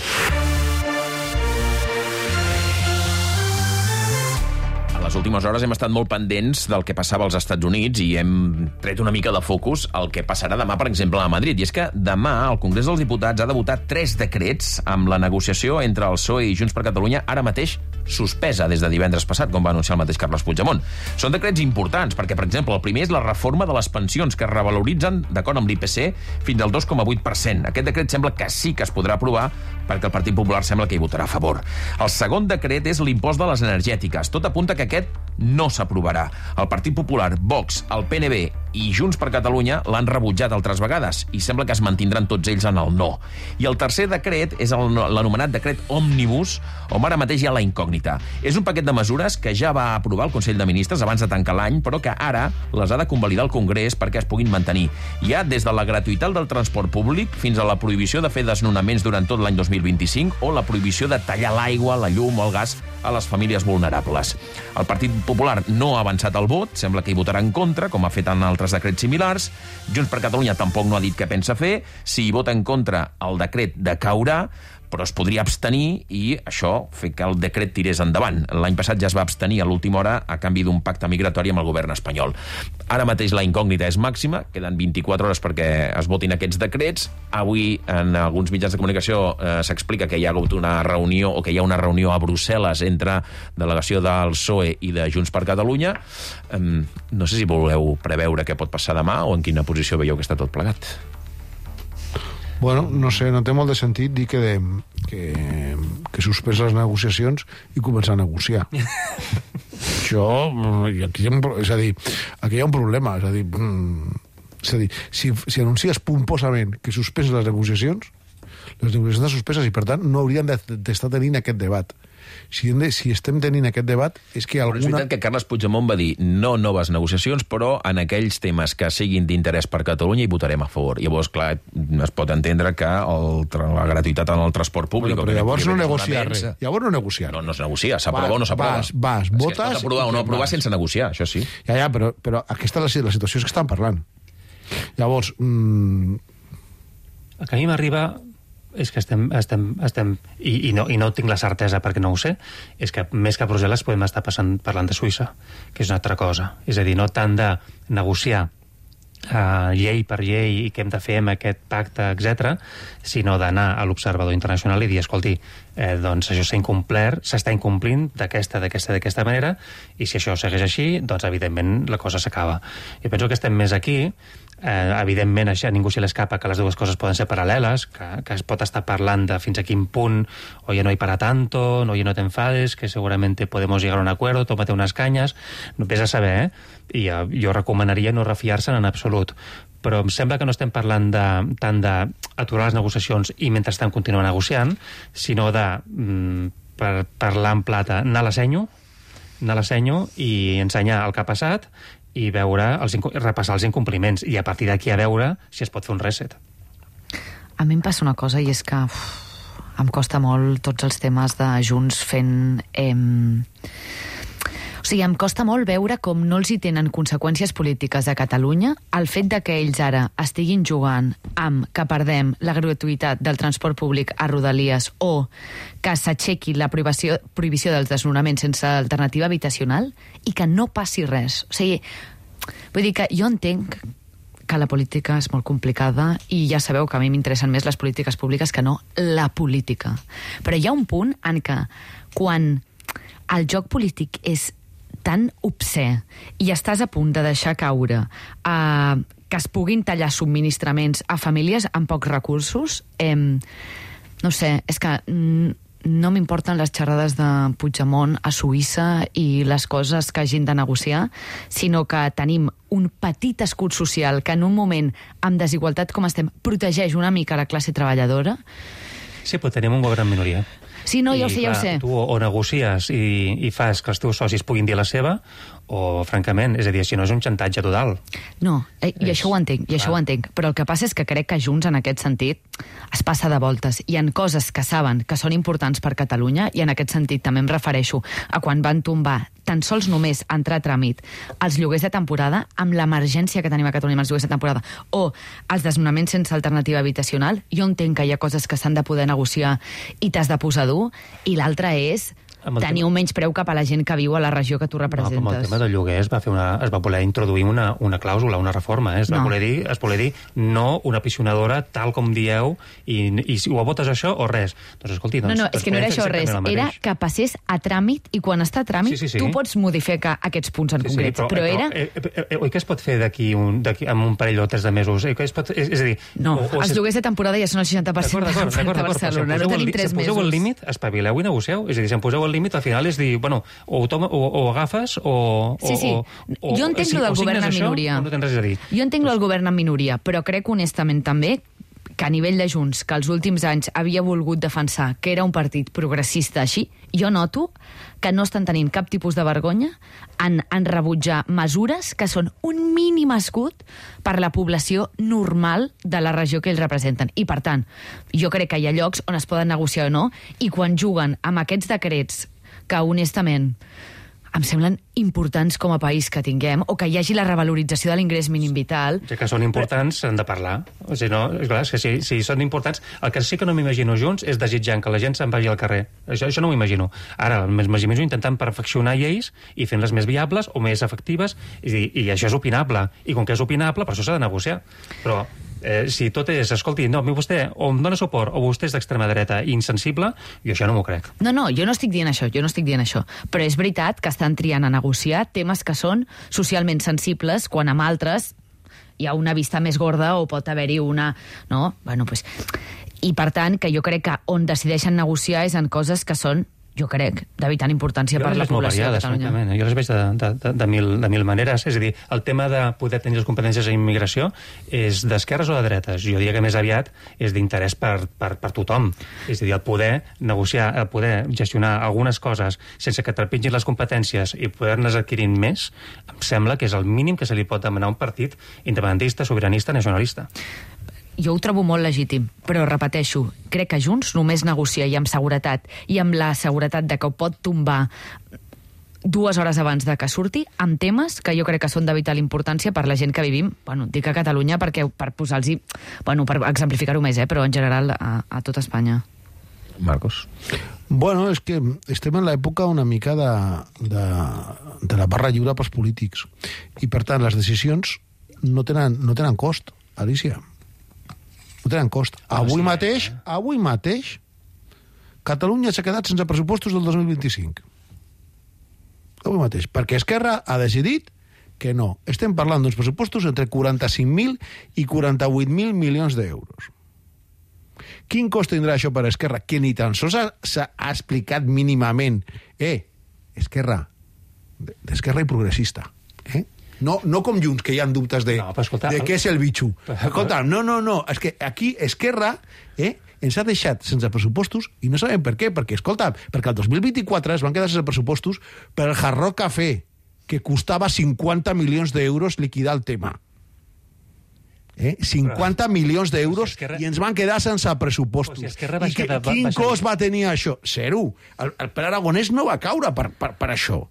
A les últimes hores hem estat molt pendents del que passava als Estats Units i hem tret una mica de focus el que passarà demà, per exemple, a Madrid. I és que demà el Congrés dels Diputats ha de votar tres decrets amb la negociació entre el P S O E i Junts per Catalunya ara mateix suspesa des de divendres passat, com va anunciar el mateix Carles Puigdemont. Són decrets importants perquè, per exemple, el primer és la reforma de les pensions que es revaloritzen, d'acord amb l'I P C, fins al dos coma vuit per cent. Aquest decret sembla que sí que es podrà aprovar perquè el Partit Popular sembla que hi votarà a favor. El segon decret és l'impost de les energètiques. Tot apunta que aquest no s'aprovarà. El Partit Popular, Vox, el P N B i Junts per Catalunya l'han rebutjat altres vegades i sembla que es mantindran tots ells en el no. I el tercer decret és l'anomenat decret Òmnibus, on ara mateix hi ha la incògnita. És un paquet de mesures que ja va aprovar el Consell de Ministres abans de tancar l'any, però que ara les ha de convalidar el Congrés perquè es puguin mantenir. Hi ha des de la gratuïtat del transport públic fins a la prohibició de fer desnonaments durant tot l'any dos mil vint-i-cinc o la prohibició de tallar l'aigua, la llum o el gas a les famílies vulnerables. El Partit Popular no ha avançat el vot, sembla que hi votarà en contra, com ha fet en altres altres decrets similars. Junts per Catalunya tampoc no ha dit què pensa fer. Si hi vota en contra, el decret decaurà, però es podria abstenir i això fer que el decret tirés endavant. L'any passat ja es va abstenir a l'última hora a canvi d'un pacte migratori amb el govern espanyol. Ara mateix la incògnita és màxima, queden vint-i-quatre hores perquè es votin aquests decrets. Avui en alguns mitjans de comunicació eh, s'explica que hi ha hagut una reunió o que hi ha una reunió a Brussel·les entre delegació del P S O E i de Junts per Catalunya. Eh, no sé si voleu preveure què pot passar demà o en quina posició veieu que està tot plegat. Bueno, no sé, no té molt de sentit dir que, de, que, que suspens les negociacions i començar a negociar. Això, aquí hi ha, és a dir, aquí hi ha un problema, és a dir, és a dir si, si anuncies pomposament que suspens les negociacions, les negociacions estan suspeses i, per tant, no haurien d'estar tenint aquest debat. Si, de, si estem tenint aquest debat és que alguna... Però és veritat que Carles Puigdemont va dir no noves negociacions, però en aquells temes que siguin d'interès per Catalunya hi votarem a favor. Llavors, clar, es pot entendre que el, la gratuïtat en el transport públic... Bueno, però llavors no negocia res. Llavors no negocia. No, no es negocia, s'aprova o no s'aprova. Vas, vas, votes... Es pot aprovar o no aprovar sense negociar, això sí. Ja, ja, però, però aquesta és la, la situació que estan parlant. Llavors... Mmm... El que a mi m'arriba... és que estem, estem, estem i, i, no, i no tinc la certesa perquè no ho sé, és que més que a Brussel·les podem estar passant, parlant de Suïssa, que és una altra cosa. És a dir, no tant de negociar uh, llei per llei i què hem de fer amb aquest pacte, etcètera, sinó d'anar a l'observador internacional i dir, escolti, eh, doncs això s'ha incomplert, s'està incomplint d'aquesta, d'aquesta, d'aquesta manera, i si això segueix així, doncs evidentment la cosa s'acaba. Jo penso que estem més aquí. Eh, evidentment, això, ningú se l'escapa que les dues coses poden ser paral·leles, que, que es pot estar parlant de fins a quin punt oye, no hay para tanto, no, oye, no te enfades, que seguramente podemos llegar a un acuerdo, tómate unas cañas, no ves a saber, eh? I eh, jo recomanaria no refiar-se'n en absolut. Però em sembla que no estem parlant de, tant d'aturar les negociacions i mentrestant continuar negociant, sinó de mm, per parlar en plata, anar a la senyo, anar a la senyo i ensenyar el que ha passat i veure els, repassar els incompliments i a partir d'aquí a veure si es pot fer un reset. A mi em passa una cosa i és que uf, em costa molt tots els temes de Junts fent... Eh... O sigui, em costa molt veure com no els hi tenen conseqüències polítiques a Catalunya el fet de que ells ara estiguin jugant amb que perdem la gratuïtat del transport públic a Rodalies o que s'aixequi la prohibició, prohibició dels desnonaments sense alternativa habitacional i que no passi res. O sigui, vull dir que jo entenc que la política és molt complicada i ja sabeu que a mi m'interessen més les polítiques públiques que no la política. Però hi ha un punt en què quan el joc polític és tan obscè i estàs a punt de deixar caure eh, que es puguin tallar subministraments a famílies amb pocs recursos, eh, no sé, és que no m'importen les xerrades de Puigdemont a Suïssa i les coses que hagin de negociar, sinó que tenim un petit escut social que en un moment amb desigualtat com estem protegeix una mica la classe treballadora. Sí, però tenim un govern en minoria. Sí, no, ja ho sé, ja ho sé. Tu o negocies i, i fas que els teus socis puguin dir la seva, o, francament, és a dir, si no és un xantatge total. No, eh, i és... això ho entenc, i això ho entenc. Però el que passa és que crec que Junts, en aquest sentit, es passa de voltes. Hi ha coses que saben que són importants per Catalunya, i en aquest sentit també em refereixo a quan van tombar tan sols només entrar a tràmit els lloguers de temporada, amb l'emergència que tenim a Catalunya amb els lloguers de temporada, o els desnonaments sense alternativa habitacional. Jo entenc que hi ha coses que s'han de poder negociar i t'has de posar dur, i l'altra és tenir un menyspreu cap a la gent que viu a la regió que tu representes. No, amb el tema del lloguer es va, fer una, es va voler introduir una, una clàusula, una reforma. Eh? Es, va No. voler dir, es voler dir no una piscinadora tal com dieu i, i si ho votes això o res. Doncs escolti, doncs, No, no, doncs és que no era podem fer això res. exactament el Era mateix. que passés a tràmit i quan està a tràmit Sí, sí, sí. tu pots modificar aquests punts en Sí, sí, concret. però, però, però, era... eh, eh, eh, oi que es pot fer d'aquí un, d'aquí, amb un parell o tres de mesos? Eh, que es pot, és, és a dir... No, o, o els si- lloguers de temporada ja són el seixanta per cent D'acord, d'acord, de d'acord, l'oferta a d'acord, però si Barcelona. No poseu el tenim li- tres si poseu el mesos. límit, espavileu i negocieu. És a dir, si em poseu el límit, al final és dir, bueno, o ho, toma, o, o agafes o... Sí, sí. O, o, Jo entenc si- lo del o signes govern en això, minoria. o no tens res a dir. Jo entenc el govern en minoria, però crec honestament també que a nivell de Junts, que els últims anys havia volgut defensar que era un partit progressista així, jo noto que no estan tenint cap tipus de vergonya en, en rebutjar mesures que són un mínim escut per la població normal de la regió que ells representen. I, per tant, jo crec que hi ha llocs on es poden negociar o no, i quan juguen amb aquests decrets que, honestament, em semblen importants com a país que tinguem, o que hi hagi la revalorització de l'ingrés mínim vital. Ja que són importants, s'han de parlar. O sigui, no, és clar, és que si, si són importants, el que sí que no m'imagino junts és desitjant que la gent se'n vagi al carrer. Això, això no m'ho imagino. Ara, m'imagino intentant perfeccionar lleis i fent-les més viables o més efectives, i, i això és opinable. I com que és opinable, per això s'ha de negociar. Però eh, si tot és, escolti, no, vostè o em dona suport o vostè és d'extrema dreta i insensible, jo això no m'ho crec. No, no, jo no estic dient això, jo no estic dient això. Però és veritat que estan triant a negociar temes que són socialment sensibles, quan amb altres hi ha una vista més gorda o pot haver-hi una... No? Bueno, pues... I per tant, que jo crec que on decideixen negociar és en coses que són, jo crec, de vital importància per la població de Catalunya. Jo les veig de, de, de, de, mil, de mil maneres. És a dir, el tema de poder tenir les competències en immigració és d'esquerres o de dretes. Jo diria que més aviat és d'interès per, per, per tothom. És a dir, el poder negociar, el poder gestionar algunes coses sense que trepitgin les competències i poder-ne adquirint més, em sembla que és el mínim que se li pot demanar a un partit independentista, sobiranista, nacionalista. Jo ho trobo molt legítim, però repeteixo, crec que Junts només negocia i amb seguretat, i amb la seguretat de que ho pot tombar dues hores abans de que surti, amb temes que jo crec que són de vital importància per la gent que vivim, bueno, dic a Catalunya perquè per posar-los, bueno, per exemplificar-ho més, eh, però en general a, a tot Espanya. Marcos. Bueno, és que estem en l'època una mica de, de, de la barra lliure pels polítics, i per tant les decisions no tenen, no tenen cost, Alicia. No tenen cost. Avui mateix, avui mateix, Catalunya s'ha quedat sense pressupostos del dos mil vint-i-cinc. Avui mateix. Perquè Esquerra ha decidit que no. Estem parlant d'uns pressupostos entre quaranta-cinc mil i quaranta-vuit mil milions d'euros. Quin cost tindrà això per Esquerra? Que ni tan sols s'ha explicat mínimament. Eh, Esquerra, d'Esquerra i progressista, eh? No, no com Junts, que hi ha dubtes de, no, escolta, de què és el bitxo. Escolta, no, no, no, és que aquí Esquerra eh, ens ha deixat sense pressupostos i no sabem per què, perquè, escolta, perquè el dos mil vint-i-quatre es van quedar sense pressupostos per el Hard Rock Café, que costava cinquanta milions d'euros liquidar el tema. Eh? cinquanta milions d'euros si Esquerra... i ens van quedar sense pressupostos. Si I que, quedar, quin baixar... cost va tenir això? Zero. El, el Pere Aragonès no va caure per, per, per això.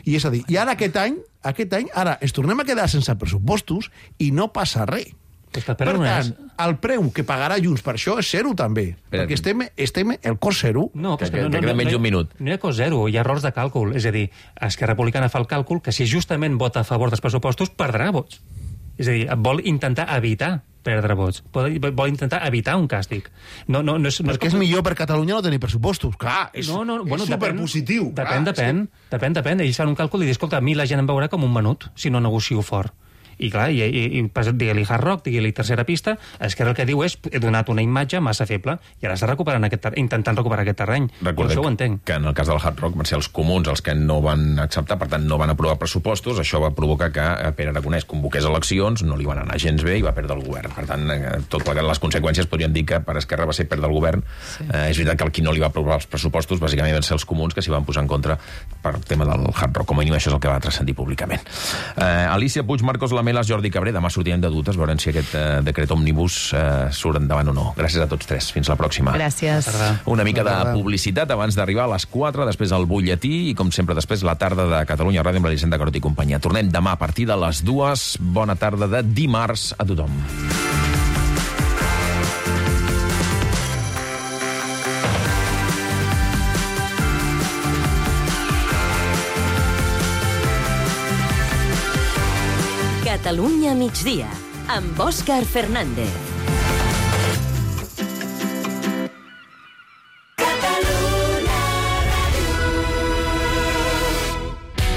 I és a dir, i ara aquest any, aquest any, ara ens tornem a quedar sense pressupostos i no passa res. Per tant, el preu que pagarà Junts per això és zero també, Però... perquè estem, estem el cost zero. No, que, que, que, no, que queda no, menys no, un minut. No hi ha cost zero, hi ha errors de càlcul. És a dir, Esquerra Republicana fa el càlcul que si justament vota a favor dels pressupostos perdrà vots. És a dir, vol intentar evitar perdre vots. Vol, vol intentar evitar un càstig. No, no, no és, no Perquè és, com... és millor per Catalunya no tenir pressupostos. Clar, és, no, no, bueno, és superpositiu. Depèn, clar, depèn, sí. depèn, depèn. Ells fan un càlcul i diuen, escolta, a mi la gent em veurà com un menut si no negocio fort. I clar, i, i, i digue-li Hard Rock, digue-li tercera pista, Esquerra el que diu és he donat una imatge massa feble i ara està recuperant aquest ter... intentant recuperar aquest terreny. Recordem això ho entenc. Que en el cas del Hard Rock van ser els comuns els que no van acceptar, per tant no van aprovar pressupostos, això va provocar que Pere Aragonès convoqués eleccions, no li van anar gens bé i va perdre el govern. Per tant, tot plegat les conseqüències podríem dir que per Esquerra va ser perdre el govern. Sí. Eh, és veritat que el qui no li va aprovar els pressupostos bàsicament van ser els comuns que s'hi van posar en contra per tema del Hard Rock. Com a mínim això és el que va transcendir públicament. Eh, Alicia Puig, Marcos Lamelas, Jordi Cabré, demà sortirem de dutes, veurem si aquest eh, decret òmnibus eh, surt endavant o no. Gràcies a tots tres. Fins la pròxima. Gràcies. Una mica de publicitat abans d'arribar a les quatre, després el butlletí i, com sempre, després la tarda de Catalunya Ràdio amb l'Elisenda Carot i companyia. Tornem demà a partir de les dues. Bona tarda de dimarts a tothom. Catalunya migdia, amb Òscar Fernández.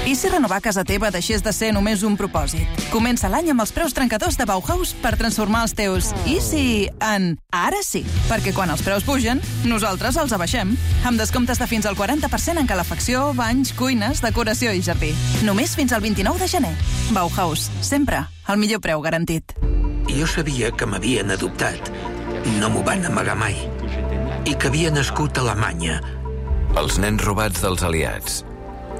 I si renovar casa teva deixés de ser només un propòsit? Comença l'any amb els preus trencadors de Bauhaus per transformar els teus i si en ara sí. Perquè quan els preus pugen, nosaltres els abaixem. Amb descomptes de fins al quaranta per cent en calefacció, banys, cuines, decoració i jardí. Només fins al vint-i-nou de gener. Bauhaus, sempre el millor preu garantit. Jo sabia que m'havien adoptat. No m'ho van amagar mai. I que havia nascut a Alemanya. Els nens robats dels aliats.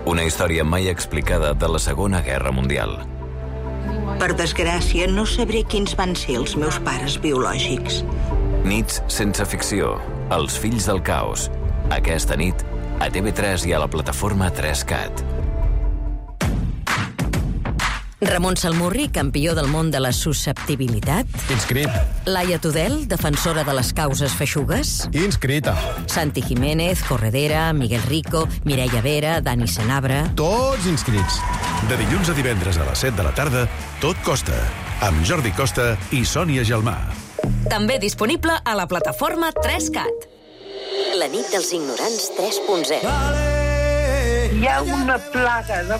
Una història mai explicada de la Segona Guerra Mundial. Per desgràcia, no sabré quins van ser els meus pares biològics. Nits sense ficció. Els fills del caos. Aquesta nit, a T V tres i a la plataforma tres cat. Ramon Salmurri, campió del món de la susceptibilitat. Inscrit. Laia Tudel, defensora de les causes feixugues. Inscrita. Santi Jiménez, corredera, Miguel Rico, Mireia Vera, Dani Senabre... Tots inscrits. De dilluns a divendres a les set de la tarda, Tot Costa, amb Jordi Costa i Sònia Gelmà. També disponible a la plataforma tres cat. La nit dels ignorants tres punt zero. Hi ha una plaga de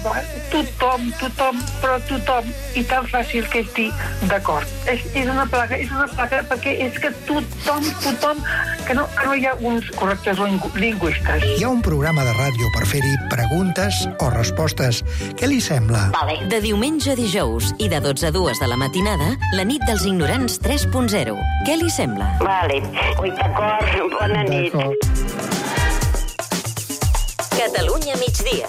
tothom, tothom, però tothom, i tan fàcil que és dir d'acord. És, és una plaga, és una plaga perquè és que tothom, tothom, que no, que no hi ha uns correctors lingüistes. Hi ha un programa de ràdio per fer-hi preguntes o respostes. Què li sembla? Vale. De diumenge a dijous i de dotze a dues de la matinada, la nit dels ignorants tres punt zero. Què li sembla? Vale. Ui, d'acord, bona nit. Catalunya migdia.